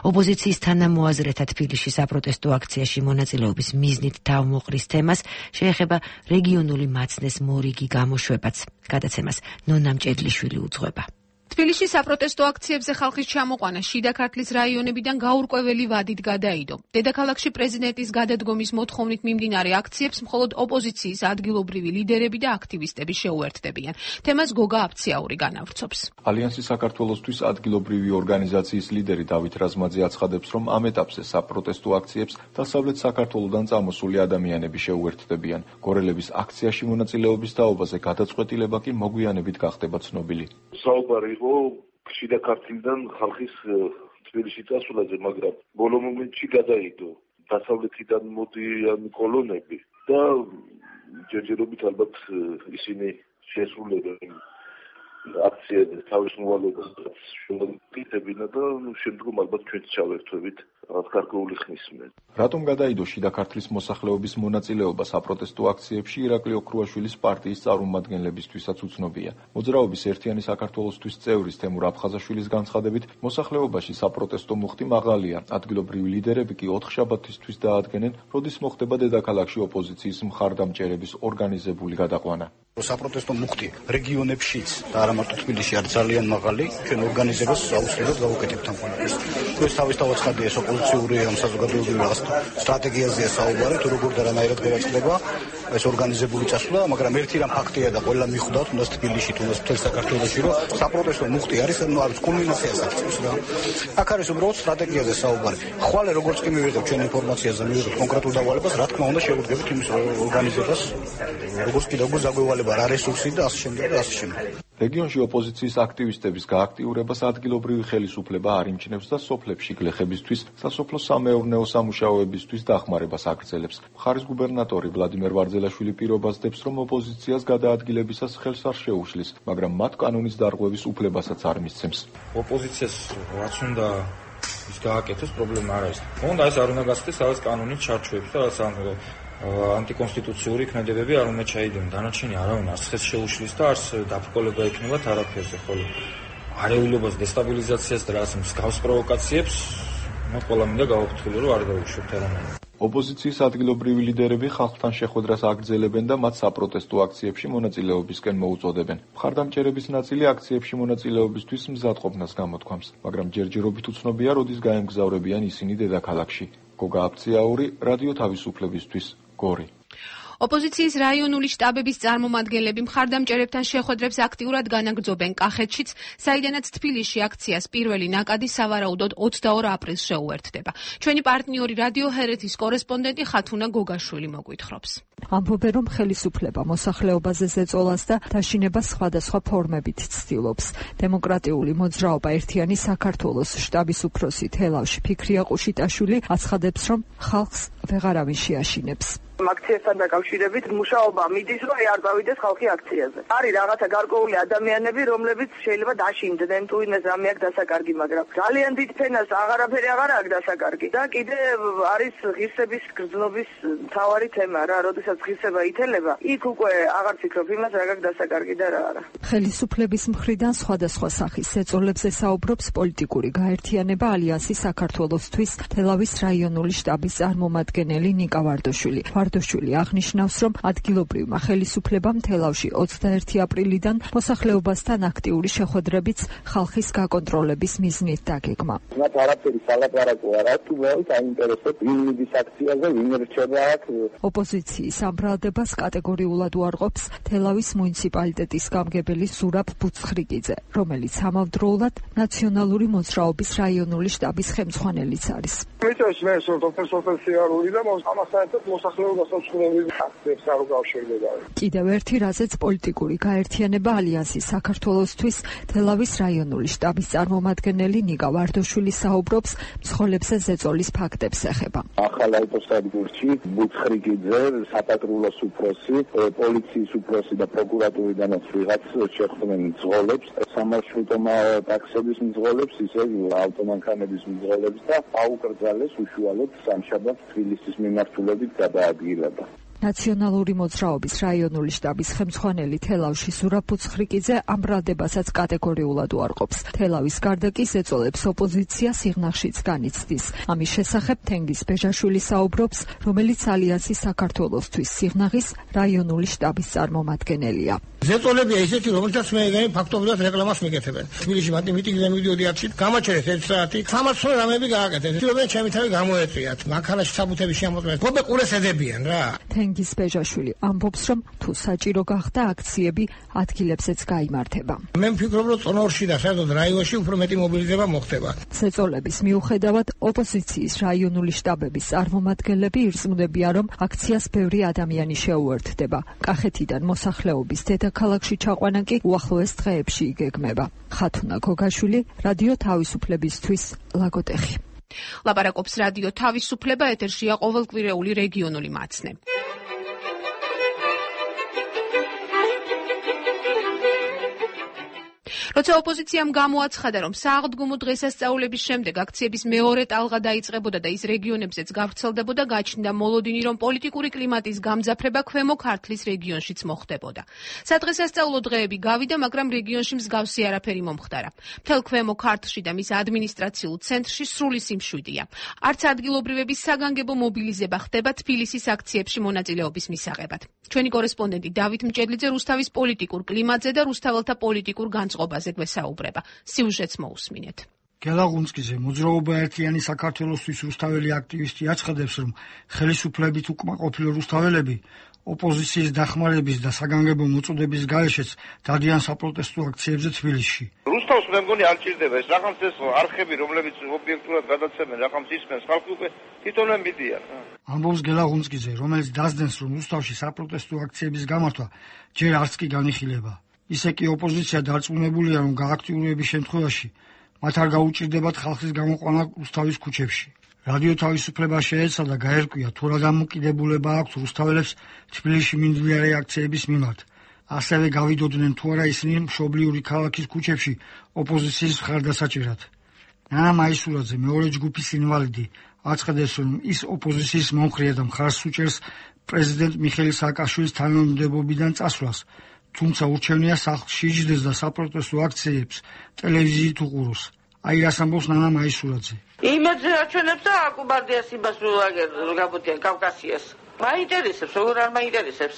ოპოზიციის თანამოაზრეთა თბილისში საპროტესტო აქციაში მონაწილეობის მიზნით თავმოყრის თემას შეეხება რეგიონული მაცნეს მორიგი გამოშვებაც. გადაცემას ნონა მჭედლიშვილი უძღვება. თბილისში საპროტესტო აქციებზე ხალხის ჩამოყვანა შიდა ქართლის რაიონებიდან გაურკვეველი ვადით გადაიდო. დედაქალაქში პრეზიდენტის გადადგომის მოთხოვნით მიმდინარე აქციებს მხოლოდ ოპოზიციის ადგილობრივი ლიდერები და აქტივისტები შეუერთდებიან. თემას გოგა აფციაური განავრცობს. ალიანსი საქართველოსთვის ადგილობრივი ორგანიზაციის ლიდერი დავით რაზმაძე აცხადებს, რომ ამ ეტაპზე საპროტესტო აქციებს დასავლეთ საქართველოდან წამოსული ადამიანები შეუერთდებიან. გორელების აქციაში მონაწილეობის თაობაზე გადაწყვეტილება კი მოგვიანებით გახდება ცნობილი. საუბარი იყო შიდა ქართლიდან ხალხის თბილისში წასვლაზე, მაგრამ ბოლო მომენტში გადაიდო დასავლეთიდან მოდიან კოლონები და ჯერჯერობით ალბათ ისინი შესრულებენ აქციაზე თავის მოვალეობას შემოგიტებინა და შემდგომ ალბათ ჩვენც ჩავერთვებით რაღაც გარკვეული ხნის მერე. რატომ გადაიდო შიდა ქართლის მოსახლეობის მონაწილეობა საპროტესტო აქციებში ირაკლი ოქრუაშვილის პარტიის წარმომადგენლებისთვისაც უცნობია. მოძრაობის ერთიანი საქართველოსთვის წევრის თემურ აფხაზაშვილის განცხადებით, მოსახლეობაში საპროტესტო მუხტი მაღალია. ადგილობრივი ლიდერები კი ოთხშაბათისთვის დაადგენენ, როდის მოხდება დედაქალაქში ოპოზიციის მხარდამჭერების ორგანიზებული გადაყვანა. საპროტესტო მუხტი რეგიონებშიც და არა მარტო თბილისში არის ძალიან მაღალი, ჩვენ ორგანიზებას აუცილებლად გავუკეთებთ ამ ყველაფერს. ეს თავისთავად ხადია ოპოზიციური ამ საზოგადოებრივი რაღაც სტრატეგიაზეა საუბარი, თუ როგორ და რანაირად გადაწყდება ეს ორგანიზებული წასვლა, მაგრამ ერთი რამ ფაქტია და ყველა მიხვდათ, თუნდაც თბილისში, თუნდაც მთელ საქართველოში, რომ საპროტესტო მუხტი არის, ну, არის კულმინაციას აღწევს რა. აქ არის უბრალოდ სტრატეგიაზე საუბარი. ხვალე როგორც კი მივიღებ ჩვენ ინფორმაციაზე, მივიღებ კონკრეტულ დავალებას, რა თქმა უნდა შევუდგებით იმის ორგანიზებას, როგორც კიდევ როგორ ზაგვევალება რა რესურსი და ასე შემდეგ და ასე შემდეგ. რეგიონში ოპოზიციის აქტივისტების გააქტიურებას ადგილობრივი ხელისუფლება არ იმჩნევს და სოფლებში გლეხებისთვის, სასოფლო-სამეურნეო სამუშაოებისთვის დახმარებას აგრძელებს. მხარის გუბერნატორი ვლადიმერ ვარძელაშვილი პირობას დებს, რომ ოპოზიციას გადაადგილებისას ხელს არ შეუშლის, მაგრამ მათ კანონის დარღვევის უფლებასაც არ მისცემს. ოპოზიციას რაც უნდა ის გააკეთოს, პრობლემა არ არის. უნდა ეს არ უნდა გასცდეს რაღაც კანონის ჩარჩოებს და რაღაც ანტიკონსტიტუციური ქმედებები არ უნდა ჩაიდინონ. დანარჩენი არავინ არც ხელს შეუშლის და არც დაბრკოლება ექნებათ არაფერზე, ხოლო არეულობას, დესტაბილიზაციას და რაღაც მსგავს პროვოკაციებს მათ ყველა მინდა გავაფრთხილო, რომ არ დაუშვებთ არამედ. ოპოზიციის ადგილობრივი ლიდერები ხალხთან შეხვედრას აგრძელებენ და მათ საპროტესტო აქციებში მონაწილეობისკენ მოუწოდებენ. მხარდამჭერების ნაწილი აქციებში მონაწილეობისთვის მზადყოფნას გამოთქვამს, მაგრამ ჯერჯერობით უცნობია, როდის გაემგზავრებიან ისინი დედაქალაქში. გოგა აფციაური, რადიო თავისუფლებისთვის, გორი. ოპოზიციის რაიონული შტაბების წარმომადგენლები მხარდამჭერებთან შეხვედრებს აქტიურად განაგრძობენ კახეთშიც, საიდანაც თბილისში აქციას პირველი ნაკადი სავარაუდოდ ოცდაორ აპრილს შეუერთდება. ჩვენი პარტნიორი რადიო ჰერეთის კორესპონდენტი ხათუნა გოგაშვილი მოგვითხრობს. ამბობენ, რომ ხელისუფლება მოსახლეობაზე ზეწოლას და დაშინებას სხვადასხვა ფორმებით ცდილობს. დემოკრატიული მოძრაობა ერთიანი საქართველოს შტაბის უფროსი თელავში ფიქრია ყუშიტაშვილი აცხადებს, რომ ხალხს ვეღარავინ შეაშინებს. აქციასთან დაკავშირებით მუშაობა მიდის, რომ არ გავიდეს ხალხი აქციაზე. არის რაღაცა გარკვეული ადამიანები, რომლებიც შეიძლება დაშინდნენ თუ იმეს რამე აქვს დასაკარგი, მაგრამ ძალიან დიდ ფენას აღარაფერი აღარ აქვს დასაკარგი. და კიდე არის ღირსების გრძნობის მთავარი თემა რა, როდესაც ღირსება ითელება, იქ უკვე აღარ ფიქრობ იმას რა გაქვს დასაკარგი და რა არა. ხელისუფლების მხრიდან სხვადასხვა სახის ზეწოლებზე საუბრობს პოლიტიკური გაერთიანება ალიანსი საქართველოსთვის თელავის რაიონული შტაბის წარმომადგენელი ნიკა ვარდოშვილი. ვარდოშვილი აღნიშნავს, რომ ადგილობრივმა ხელისუფლებამ თელავში ოცდაერთი აპრილიდან მოსახლეობასთან აქტიური შეხვედრებიც ხალხის გაკონტროლების მიზნით დაგეგმა. მათ არაფერი სალაპარაკო არ აქვს, თუ მოიც აინტერესებს ვინ მიდის აქციაზე, ვინ რჩება აქ. ოპოზიციის ამ ბრალდებას კატეგორიულად უარყოფს თელავის მუნიციპალიტეტის გამგებელი ზურაბ ბუცხრიკიძე, რომელიც ამავდროულად ნაციონალური მოძრაობის რაიონული შტაბის ხელმძღვანელიც არის. მიწევს მე სოფელ-სოფელსიარული და ამასაერთოდ მოსახლეობას უცხოები აქციებს არ უკავშირდება. კიდევ ერთი რაზეც პოლიტიკური გაერთიანება ალიანსი საქართველოსთვის თელავის რაიონული შტაბის წარმომადგენელი ნიკა ვარდოშვილი საუბრობს მსხოლებზე ზეწოლის ფაქტებს ეხება. ახალ აუტოსადგურში ბუცხრიკიძე, საპატრულოს უფროსი, პოლიციის უფროსი და პროკურატურიდანაც ვიღაც შეხვდნენ მძღოლებს, სამარშრუტო ტაქსების მძღოლებს, ისე ავტომანქანების მძღოლებს და აუკრძალეს უშუალოდ სამშაბათს თბილისის მიმართულებით გადაადგილება. ნაციონალური მოძრაობის რაიონული შტაბის ხელმძღვანელი თელავში ზურაბ ბუცხრიკიძე ამ ბრალდებასაც კატეგორიულად უარყოფს. თელავის გარდა კი ზეწოლებს ოპოზიცია სიღნაღშიც განიცდის. ამის შესახებ თენგიზ ბეჟაშვილი საუბრობს, რომელიც ალიანსი საქართველოსთვის სიღნაღის რაიონული შტაბის წარმომადგენელია. ზეწოლებია ისეთი, რომელთაც მე ფაქტობრივად რეკლამას მიკეთებენ. თბილისში მათი მიტინგზე მივიდოდი აქცით, გამაჩერეთ ერთ საათი, სამაცნო რამეები გააკეთეთ. თვითონ ჩემი თავი გამოეწვიათ. მანქანაში საბუთები შემოწმეთ. ხობე ყურეს ედებიან რა. თენგიზ ბეჟაშვილი ამბობს, რომ თუ საჭირო გახდა აქციები ადგილებზეც გაიმართება. მე ვფიქრობ, რომ წონორში და საერთოდ რაიონში უფრო მეტი მობილიზება მოხდება. ზეწოლების მიუხედავად ოპოზიციის რაიონული შტაბების წარმომადგენლები ირწმუნებიან, რომ აქციას ბევრი ადამიანი შეუერთდება. კახეთიდან მოსახლეობის დედაქალაქში ჩაყვანა კი უახლოეს დღეებში იგეგმება. ხათუნა გოგაშვილი, რადიო თავისუფლებისთვის, ლაგოდეხი. ლაპარაკობს რადიო თავისუფლება, ეთერშია ყოველკვირეული რეგიონული მაცნე. როცა ოპოზიციამ გამოაცხადა, რომ სააღდგომო დღესასწაულების შემდეგ აქციების მეორე ტალღა დაიწყებოდა და ის რეგიონებზეც გავრცელდებოდა, გაჩნდა მოლოდინი, რომ პოლიტიკური კლიმატის გამძაფრება ქვემო ქართლის რეგიონშიც მოხდებოდა. სადღესასწაულო დღეები გავიდა, მაგრამ რეგიონში მსგავსი არაფერი მომხდარა. მთელ ქვემო ქართლში და მის ადმინისტრაციულ ცენტრში სრული სიმშვიდეა. არც ადგილობრივების საგანგებო მობილიზება ხდება თბილისის აქციებში მონაწილეობის მისაღებად. ჩვენი კორესპონდენტი დავით მჭედლიძე რუსთავის პოლიტიკურ კლიმატზე და რუსთაველთა პოლიტიკურ განწყობაზე გვესაუბრება. სიუჟეტს მოусმინეთ. გელაღუნსკიძე, მოძრაობა ერთიანი საქართველოსთვის რუსთაველი აქტივისტი აცხადებს, რომ ხელისუფლებით უკმაყოფილო რუსთაველები ოპოზიციის დახმარების და საგანგებო მოწოდების გარეშეც დადიან საპროტესტო აქციებზე თბილისში. რუსთავს მე მგონი არ ჭირდება ეს რაღაც ეს არხები, რომლებიც ობიექტურად გადაცემენ, რაღაც ისმენს, ხალხი უკვე თვითონვე მიდიან. ამბობს გელაღუნსკიძე, რომელიც დასდენს, რომ რუსთავში საპროტესტო აქციების გამართვა ჯერ არც კი განიხილება. ისე კი ოპოზიცია დარწმუნებულია, რომ გააქტიურების შემთხვევაში მათ არ გაუჭირდებათ ხალხის გამოყვანა რუსთავის ქუჩებში. რადიო თავისუფლება შეეცადა გაერკვია, თუ რა დამოკიდებულება აქვს რუსთაველებს თბილისში მიმდინარე აქციების მიმართ. ასევე გავიდოდნენ თუ არა ისინი მშობლიური ქალაქის ქუჩებში ოპოზიციის მხარდასაჭერად. ნანა მაისურაძე, მეორე ჯგუფის ინვალიდი, აცხადებს, რომ ის ოპოზიციის მომხრეა და მხარს უჭერს პრეზიდენტ მიხეილ სააკაშვილის თანამდებობიდან წასვლას. თუმცა ურჩევნია სახლში შეჯდეს და საპროტესტო აქციებს ტელევიზიით უყუროს. აი რას ამბობს ნანა მაისურაძე. იმედზე აჩვენებს და აკუბარდიას იმას რო გაბოდიან კავკასიას. მაინტერესებს, როგორ არ მაინტერესებს.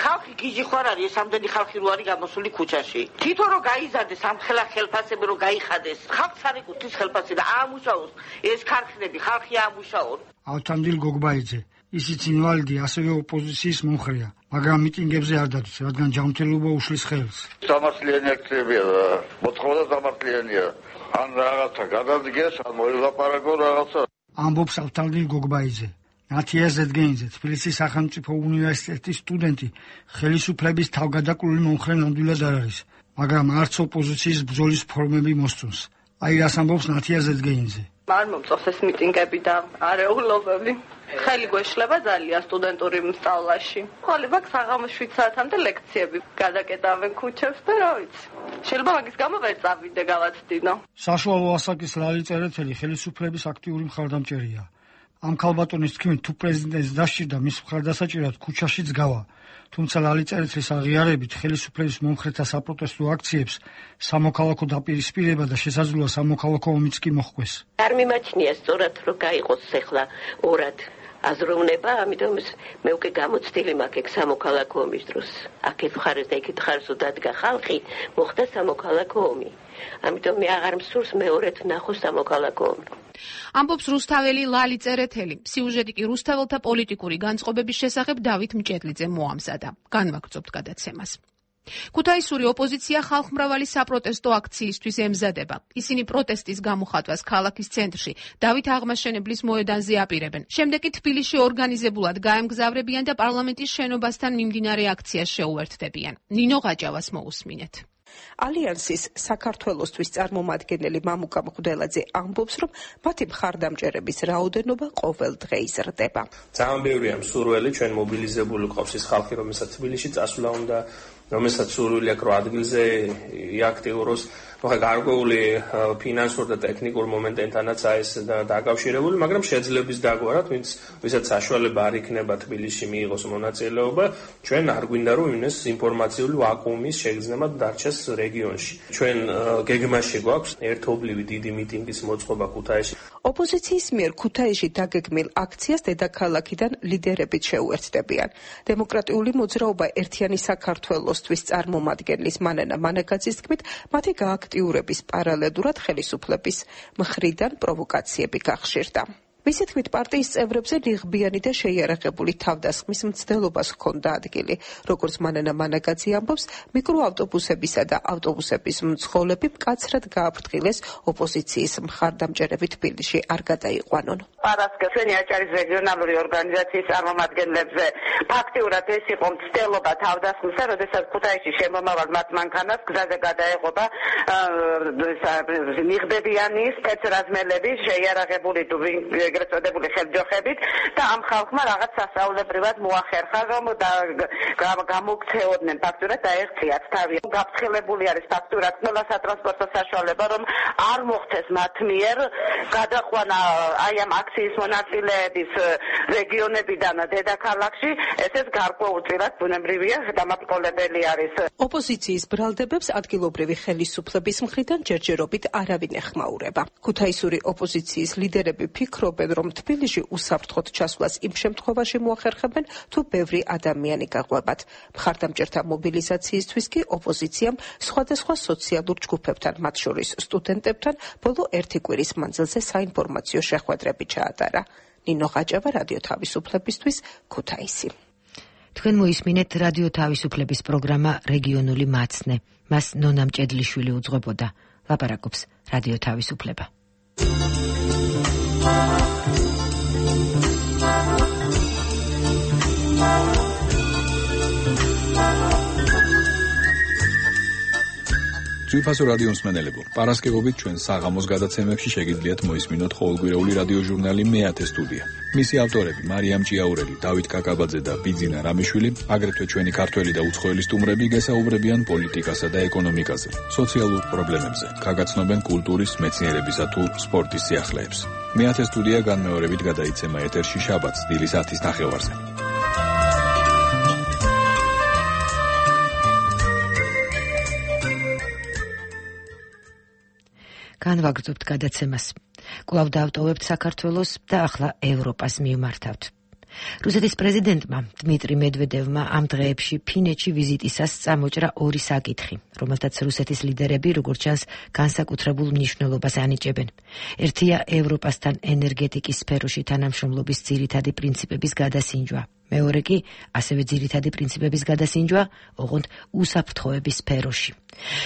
ხალხი გიჟი ხარ არის, ეს ამდენი ხალხი რო არის გამოსული ქუჩაში. თვითონ რო გაიზარდეს ამ ხელა ხელფასები რო გაიხადეს. ხალხს არ ეკუთვნის ხელფასი და აამუშაოს ეს ქარხნები, ხალხი აამუშაოს. ავთანდილ გოგბაიძე, ისიც ინვალიდი, ასევე ოპოზიციის მომხრეა, მაგრამ მიტინგებზე არ დადის, რადგან ჯანმრთელობა უშლის ხელს. სამართლიანი აქციებია და მოთხოვნა სამართლიანია. ან რაღაცა გადადგეს, ან მოილაპარაკო რაღაცა. ამბობს ავთანდილ გოგბაიძე. ნათია ზედგენიძე, თბილისის სახელმწიფო უნივერსიტეტის სტუდენტი, ხელისუფლების თავგადაკვლილი მომხრე ნამდვილად არ არის, მაგრამ არც ოპოზიციის ბრძოლის ფორმები მოსწონს. აი რას ამბობს ნათია ზედგენიძე. არ მომწონს ეს მიტინგები და არეულობები. ხელი გვეშლება ძალიან სტუდენტური სწავლაში. ხოლმე საღამოს შვიდ საათამდე ლექციები გადაკეტავენ ქუჩებს და რა ვიცი. შეიძლება მაგის გამო ვერ წავიდე გავაცდინო. საშუალო ასაკის ლალი წერეთელი ხელისუფლების აქტიური მხარდამჭერია. ამ ქალბატონის თქმით, თუ პრეზიდენტს დასჭირდა მის მხარდასაჭერად ქუჩაშიც გავა. თუმცა ლალი წერეთლის აღიარებით ხელისუფლების მომხრეთა საპროტესტო აქციებს სამოქალაქო დაპირისპირება და შესაძლოა სამოქალაქო ომიც კი მოჰყვეს. არ მიმაჩნია სწორად რომ გაიყოს ახლა ორად აზროვნება, ამიტომ მე უკვე გამოცდილი მაქვს ეგ სამოქალაქო ომის დროს. აქეთ მხარეს და იქით მხარეს დადგა ხალხი, მოხდა სამოქალაქო ომი. ამიტომ მე აღარ მსურს მეორედ ვნახო სამოქალაქო ომი. ამბობს რუსთაველი ლალი წერეთელი. სიუჟეტი კი რუსთაველთა პოლიტიკური განწყობების შესახებ დავით მჭედლიძე მოამზადა. განვაგრძობთ გადაცემას. ქუთაისური ოპოზიცია ხალხმრავალი საპროტესტო აქციისთვის ემზადება. ისინი პროტესტის გამოხატვას ქალაქის ცენტრში დავით აღმაშენებლის მოედანზე აპირებენ. შემდეგ კი თბილისში ორგანიზებულად გაემგზავრებიან და პარლამენტის შენობასთან მიმდინარე აქციას შეუერთდებიან. ნინო ღაჭავას მოусმინეთ. ალიანსის საქართველოსთვის წარმომადგენელი მამუკა მღვდელაძე ამბობს, რომ მათი მხარდამჭერების რაოდენობა ყოველ დღე იზრდება. ძალიან ბევრია მსურველი, ჩვენ მობილიზებული ყავს ის ხალხი, რომელსაც თბილისში წასვლა უნდა, რომელსაც სურვილი აქვს, რომ ადგილზე იაქტიუროს. მოხდა გარკვეული ფინანსურ და ტექნიკურ მომენტენთანაც ეს დაკავშირებული, მაგრამ შეძლებს დაგვარად, ვინც ვისაც საშუალება არ იქნება თბილისში მიიღოს მონაწილეობა, ჩვენ არ გვინდა რომ იმის ინფორმაციული ვაკუუმის შეგრძნება დარჩეს რეგიონში. ჩვენ გეგმაში გვაქვს ერთობლივი დიდი მიტინგის მოწყობა ქუთაისში. ოპოზიციის მიერ ქუთაისში დაგეგმილ აქციას დედაქალაქიდან ლიდერებით შეუერთდებიან. დემოკრატიული მოძრაობა ერთიანი საქართველოსთვის წარმომადგენლის მანანა მანაგაძის თქმით, მათი გააქტიურების პარალელურად ხელისუფლების მხრიდან პროვოკაციები გახშირდა. მისი თქმით, პარტიის წევრებზე რიღბიანი და შეიარაღებული თავდასხმის მცდელობას ჰქონდა ადგილი. როგორც მანანა მანაგაძე ამბობს, მიკროავტობუსებისა და ავტობუსების მძღოლები მკაცრად გააფრთხილეს ოპოზიციის მხარდამჭერები თბილისში არ გადაიყვანონ. პარასკევ ჩვენი აჭარის რეგიონალური ორგანიზაციის წარმომადგენლებზე ფაქტიურად ეს იყო მცდელობა თავდასხმისა, როდესაც ქუთაისში შემომავალ მათ მანქანას გზაზე გადაეღობა მიღბებიანი სპეცრაზმელები შეიარაღებული ეგრეთ წოდებული ხელჯოხებით და ამ ხალხმა რაღაც სასწაულებრივად მოახერხა, რომ გამოგცეოდნენ ფაქტურად დაეღწიათ თავი. გაფრთხილებული არის ფაქტურად ყველა სატრანსპორტო საშუალება, რომ არ მოხდეს მათ მიერ გადაყვანა აი ამ აქციის მონაწილეების რეგიონებიდან დედაქალაქში, ესეც გარკვეულწილად ბუნებრივია დამაბრკოლებელი არის. ოპოზიციის ბრალდებებს ადგილობრივი ხელისუფლების მხრიდან ჯერჯერობით არავინ ეხმაურება. ქუთაისური ოპოზიციის ლიდერები ფიქრობენ, რომ თბილისში უსაფრთხოდ ჩასვლას იმ შემთხვევაში მოახერხებენ, თუ ბევრი ადამიანი გაყვებათ. მხარდამჭერთა მობილიზაციისთვის კი ოპოზიციამ სხვადასხვა სოციალურ ჯგუფებთან, მათ შორის სტუდენტებთან, ბოლო ერთი კვირის მანძილზე საინფორმაციო შეხვედრები ჩაატარა. ნინო ღაჭავა, რადიო თავისუფლებისთვის, ქუთაისი. თქვენ მოისმინეთ რადიო თავისუფლების პროგრამა რეგიონული მაცნე. მას ნონა მჭედლიშვილი უძღვებოდა. ლაპარაკობს რადიო თავისუფლება. ძვირფასო რადიო მსმენელებო, პარასკევობით ჩვენ საღამოს გადაცემებში შეგიძლიათ მოისმინოთ ყოველკვირეული რადიო ჟურნალი მეათე სტუდია. მისი ავტორები მარიამ ჭიაურელი, დავით კაკაბაძე და ბიძინა რამიშვილი, აგრეთვე ჩვენი ქართველი და უცხოელი სტუმრები გესაუბრებიან პოლიტიკასა და ეკონომიკაზე, სოციალურ პრობლემებზე, გაგაცნობენ კულტურის, მეცნიერებისა თუ სპორტის სიახლეებს. მეათე სტუდია განმეორებით გადაიცემა ეთერში შაბათს დილის ათის ნახევარზე. განვაგრძობთ გადაცემას. კვლავ დავტოვებთ საქართველოს და ახლა ევროპას მივმართავთ. რუსეთის პრეზიდენტმა დმიტრი მედვედევმა ამ დღეებში ფინეთში ვიზიტისას წამოჭრა ორი საკითხი, რომელთაც რუსეთის ლიდერები, როგორც ჩანს, განსაკუთრებულ მნიშვნელობას ანიჭებენ. ერთია ევროპასთან ენერგეტიკის სფეროში თანამშრომლობის ძირითადი პრინციპების გადასინჯვა. მეორე კი ასევე ძირითადი პრინციპების გადასინჯვა, ოღონდ უსაფრთხოების სფეროში.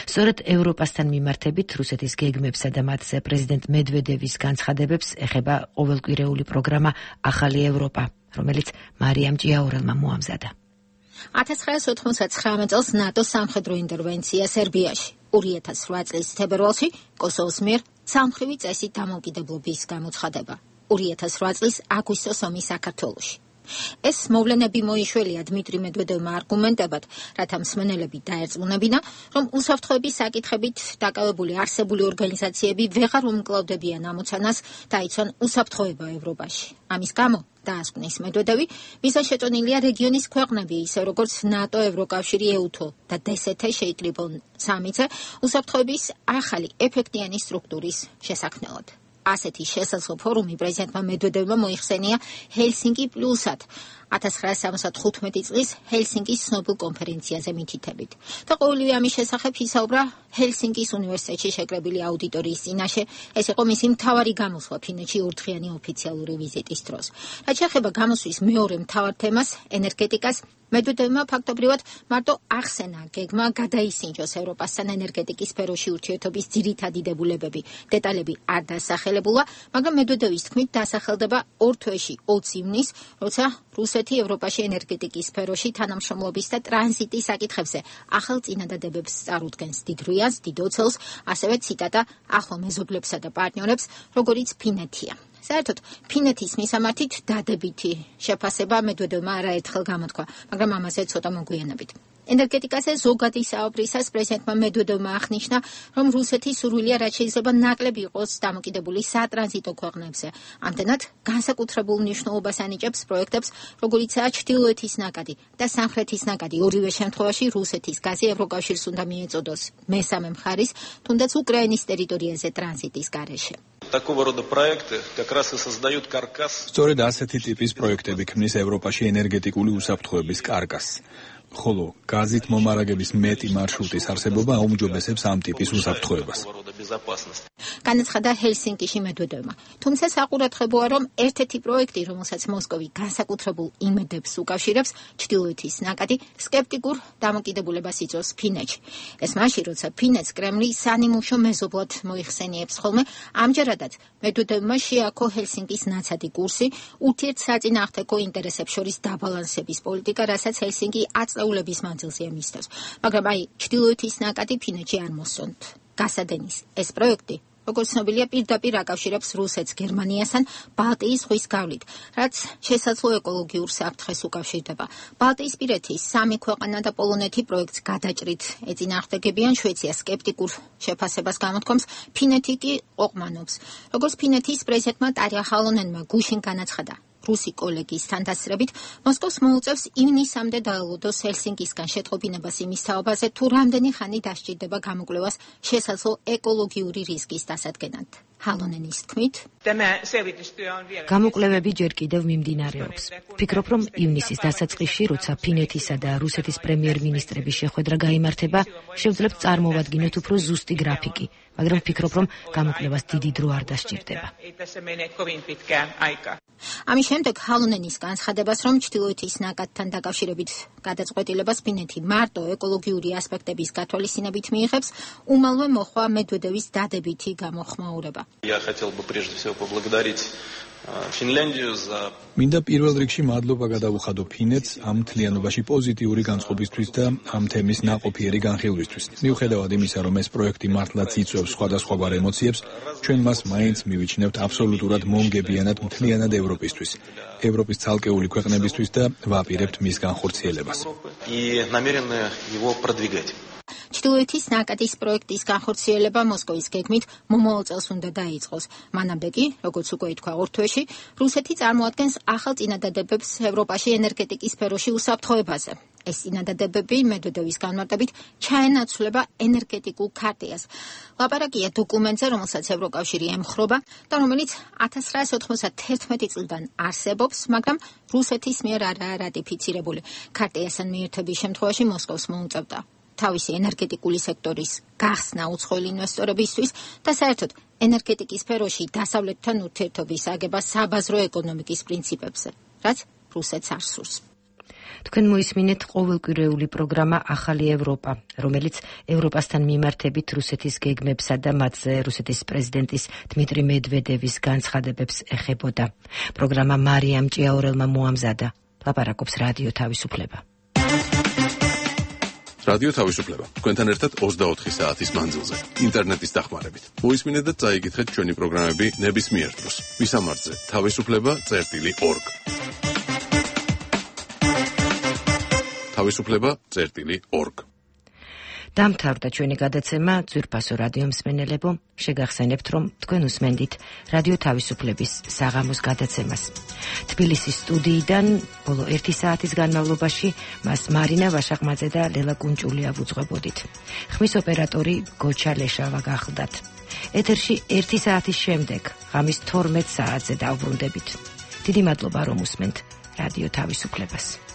სწორედ ევროპასთან მიმართებით რუსეთის გეგმებსა და მათზე პრეზიდენტ მედვედევის განცხადებებს ეხება ყოველკვირეული პროგრამა ახალი ევროპა, რომელიც მარიამ ჭიაურელმა მოამზადა. ათას ცხრაასი ოთხმოცდათცხრამეტ წელს ნატოს სამხედრო ინტერვენცია სერბიაში, ორი ათას რვა წლის თებერვალში კოსოვოს მიერ სამხრივი წესით დამოუკიდებლობის გამოცხადება, ორი ათას რვა წლის აგვისტოს ომი საქართველოში. ეს მოვლენები მოიშველია დმიტრი მედვედევმა არგუმენტებად, რათა მსმენელები დაერწმუნებინა, რომ უსაფრთხოების საკითხებით დაკავებული არსებული ორგანიზაციები ვეღარ უმკლავდებიან ამოცანას დაიცვან უსაფრთხოება ევროპაში. ამის გამო, დაასკვნის მედვედევი, მიზანშეწონილია რეგიონის ქვეყნები, ისე როგორც ნატო, ევროკავშირი, ეუთო და დსთ შეიკრიბონ სამიცე უსაფრთხოების ახალი ეფექტიანი სტრუქტურის შესაქმნელად. ასეთი შესაძლო ფორუმი პრეზიდენტმა მედვედევმა მოიხსენია ჰელსინკი პლუსად ათას ცხრაასი სამოცდათხუთმეტი წლის ჰელსინკის ცნობილ კონფერენციაზე მითითებით. და ყოველივე ამის შესახებ ისაუბრა ჰელსინკის უნივერსიტეტში შეკრებილი აუდიტორიის წინაშე. ეს იყო მისი მთავარი გამოსვლა ფინეთში ორდღიანი ოფიციალური ვიზიტის დროს. რაც შეეხება გამოსვლის მეორე მთავარ თემას, ენერგეტიკას, მედვედევმა ფაქტობრივად მარტო ახსენა გეგმა გადაისინჯოს ევროპასთან ენერგეტიკის სფეროში ურთიერთობის ძირითადი დებულებები. დეტალები არ დასახელებულა, მაგრამ მედვედევის თქმით დასახელდება ორ თვეში ოცი ივნის, როცა რუსეთი ევროპაში ენერგეტიკის სფეროში თანამშრომლობის და ტრანზიტის საკითხებზე ახალ წინადადებებს წარუდგენს დიდ რუიანს, დიდ ოცელს, ასევე ციტატა ახლო მეზობლებსა და პარტნიორებს, როგორიც ფინეთია. საერთოდ ფინეთის მისამართით დადებითი შეფასება მედვედევმა არაერთხელ გამოთქვა, მაგრამ ამაზე ცოტა მოგვიანებით. ენერგეტიკაზე ზოგადი საუბრისას პრეზიდენტმა მედვედევმა აღნიშნა, რომ რუსეთი სურვილია რაც შეიძლება ნაკლები იყოს დამოკიდებული სატრანზიტო ქვეყნებზე. ამდენად განსაკუთრებულ მნიშვნელობას ანიჭებს პროექტებს, როგორიცაა ჩრდილოეთის ნაკადი და სამხრეთის ნაკადი. ორივე შემთხვევაში რუსეთის გაზი ევროკავშირს უნდა მიეწოდოს მესამე მხარის, თუნდაც უკრაინის ტერიტორიაზე ტრანზიტის გარეშე. Такого рода проекты как раз и создают каркас. სწორედ ასეთი ტიპის პროექტები ქმნის ევროპაში ენერგეტიკული უსაფრთხოების კარკასს. ხოლო გაზით მომარაგების მეტი მარშრუტის არსებობა აუმჯობესებს ამ ტიპის უსაფრთხოებას. განაცხადა ჰელსინკიში მედვედევმა. თუმცა საყურადღებოა, რომ ერთ-ერთი პროექტი, რომელსაც მოსკოვი განსაკუთრებულ იმედებს უკავშირებს, ჩრდილოეთის ნაკადი, სკეპტიკურ დამოკიდებულებას იწვევს ფინეთში. ეს მაშინ, როცა ფინეთს კრემლი სანიმუშო მეზობლად მოიხსენიებს ხოლმე, ამჯერადაც მედვედევმა შეაქო ჰელსინკის ნაცადი კურსი, ურთიერთსაწინააღმდეგო ინტერესებს შორის დაბალანსების პოლიტიკა, რასაც ჰელსინკი აწეულების მანძილზე მისდევს. მაგრამ აი, ჩრდილოეთის ნაკადი ფინეთში არ მოსწონთ. გასადენის ეს პროექტი, როგორც ცნობილია, პირდაპირ აკავშირებს რუსეთს გერმანიასთან ბალტიის ზღვის გავლით, რაც შესაძლო ეკოლოგიურ საფრთხეს უკავშირდება. ბალტიისპირეთის სამი ქვეყანა და პოლონეთი პროექტს გადაჭრით ეწინააღმდეგებიან, შვეიცია სკეპტიკურ შეფასებას გამოთქვამს, ფინეთი კი ყოყმანობს. როგორც ფინეთის პრეზიდენტმა ტარია ჰალონენმა გუშინ განაცხადა, რუსი კოლეგის თანდასწრებით მოსკოვს მოუწევს ივნისამდე დაელოდოს ჰელსინკისგან შეტყობინებას იმის თაობაზე, თუ რამდენი ხანი დასჭირდება გამოკვლევას შესაძლო ეკოლოგიური რისკის დასადგენად. ჰალონენის თქმით, გამოკვლევები ჯერ კიდევ მიმდინარეობს. ვფიქრობ, რომ ივნისის დასაწყისში, როცა ფინეთისა და რუსეთის პრემიერ-მინისტრების შეხვედრა გაიმართება, შევძლებთ წარმოვადგინოთ უფრო ზუსტი გრაფიკი, მაგრამ ვფიქრობ, რომ გამოკვლევას დიდი დრო არ დასჭირდება. ამის შემდეგ ჰალონენის განცხადებას, რომ ჩრდილოეთის ნაკადთან დაკავშირებით გადაწყვეტილებას ფინეთი მარტო ეკოლოგიური ასპექტების გათვალისწინებით მიიღებს, უმალვე მოხვა მედვედევის დადებითი გამოხმაურება. Я хотел бы прежде всего поблагодарить Финляндию за მინდა პირველ რიგში მადლობა გადავუხადო ფინეთს ამ მთლიანობაში პოზიტიური განწყობისთვის და ამ თემის ნაყოფიერი განხილვისთვის. მიუხედავად იმისა, რომ ეს პროექტი მართლაც იწვევს სხვადასხვაგვარ ემოციებს, ჩვენ მას მაინც მივიჩნევთ აბსოლუტურად მომგებიანად მთლიანად ევროპისთვის, ევროპის ცალკეული ქვეყნებისთვის და ვაპირებთ მის განხორციელებას. и намерены его продвигать. ჩრდილოეთის ნაკადის პროექტის განხორციელება მოსკოვის გეგმით მომავალ წელს უნდა დაიწყოს. მანამდე კი, როგორც უკვე ითქვა ორ თვეში, რუსეთი წარმოადგენს ახალ წინადადებებს ევროპაში ენერგეტიკის სფეროში უსაფრთხოებაზე. ეს წინადადებები მედვედევის განმარტებით ჩაენაცვლება ენერგეტიკულ ქარტიას. ლაპარაკია დოკუმენტზე, რომელსაც ევროკავშირი ემხრობა და რომელიც ათას ცხრაასი ოთხმოცდათერთმეტი წლიდან არსებობს, მაგრამ რუსეთის მიერ არაა რატიფიცირებული. ქარტიასთან მიერთების შემთხვევაში მოსკოვს მოუწევდა თავისი ენერგეტიკული სექტორის გახსნა უცხოელი ინვესტორებისთვის და საერთოდ ენერგეტიკის სფეროში დასავლეთთან ურთიერთობის აგება საბაზრო ეკონომიკის პრინციპებზე, რაც რუსეთს არ სურს. თქვენ მოისმინეთ ყოველკვირეული პროგრამა ახალი ევროპა, რომელიც ევროპასთან მიმართებით რუსეთის გეგმებსა და მათზე რუსეთის პრეზიდენტის დმიტრი მედვედევის განცხადებებს ეხებოდა. პროგრამა მარიამ ჭიაურელმა მოამზადა. ლაპარაკობს რადიო თავისუფლება. რადიო თავისუფლება. თქვენთან ერთად ოცდაოთხი საათის მანძილზე, ინტერნეტის დახმარებით. მოისმინეთ და წაიკითხეთ ჩვენი პროგრამები ნებისმიერ დროს. ვისამართზე თავისუფლება წერტილი ორგ. თავისუფლება წერტილი ორგ. დამთავრდა ჩვენი გადაცემა ძვირფასო რადიო მსმენელებო, შეგახსენებთ, რომ თქვენ უსმენდით რადიო თავისუფლების საღამოს გადაცემას. თბილისის სტუდიიდან ბოლო ერთი საათის განმავლობაში მას მარინა ვაშაყმაძე და ლელა კუნჭულია ვუძღვებოდით. ხმის ოპერატორი გოჩა ლეშავა გახლდათ. ეთერში ერთი საათის შემდეგ, ღამის თორმეტ საათზე დავბრუნდებით. დიდი მადლობა, რომ უსმენთ რადიო თავისუფლებას.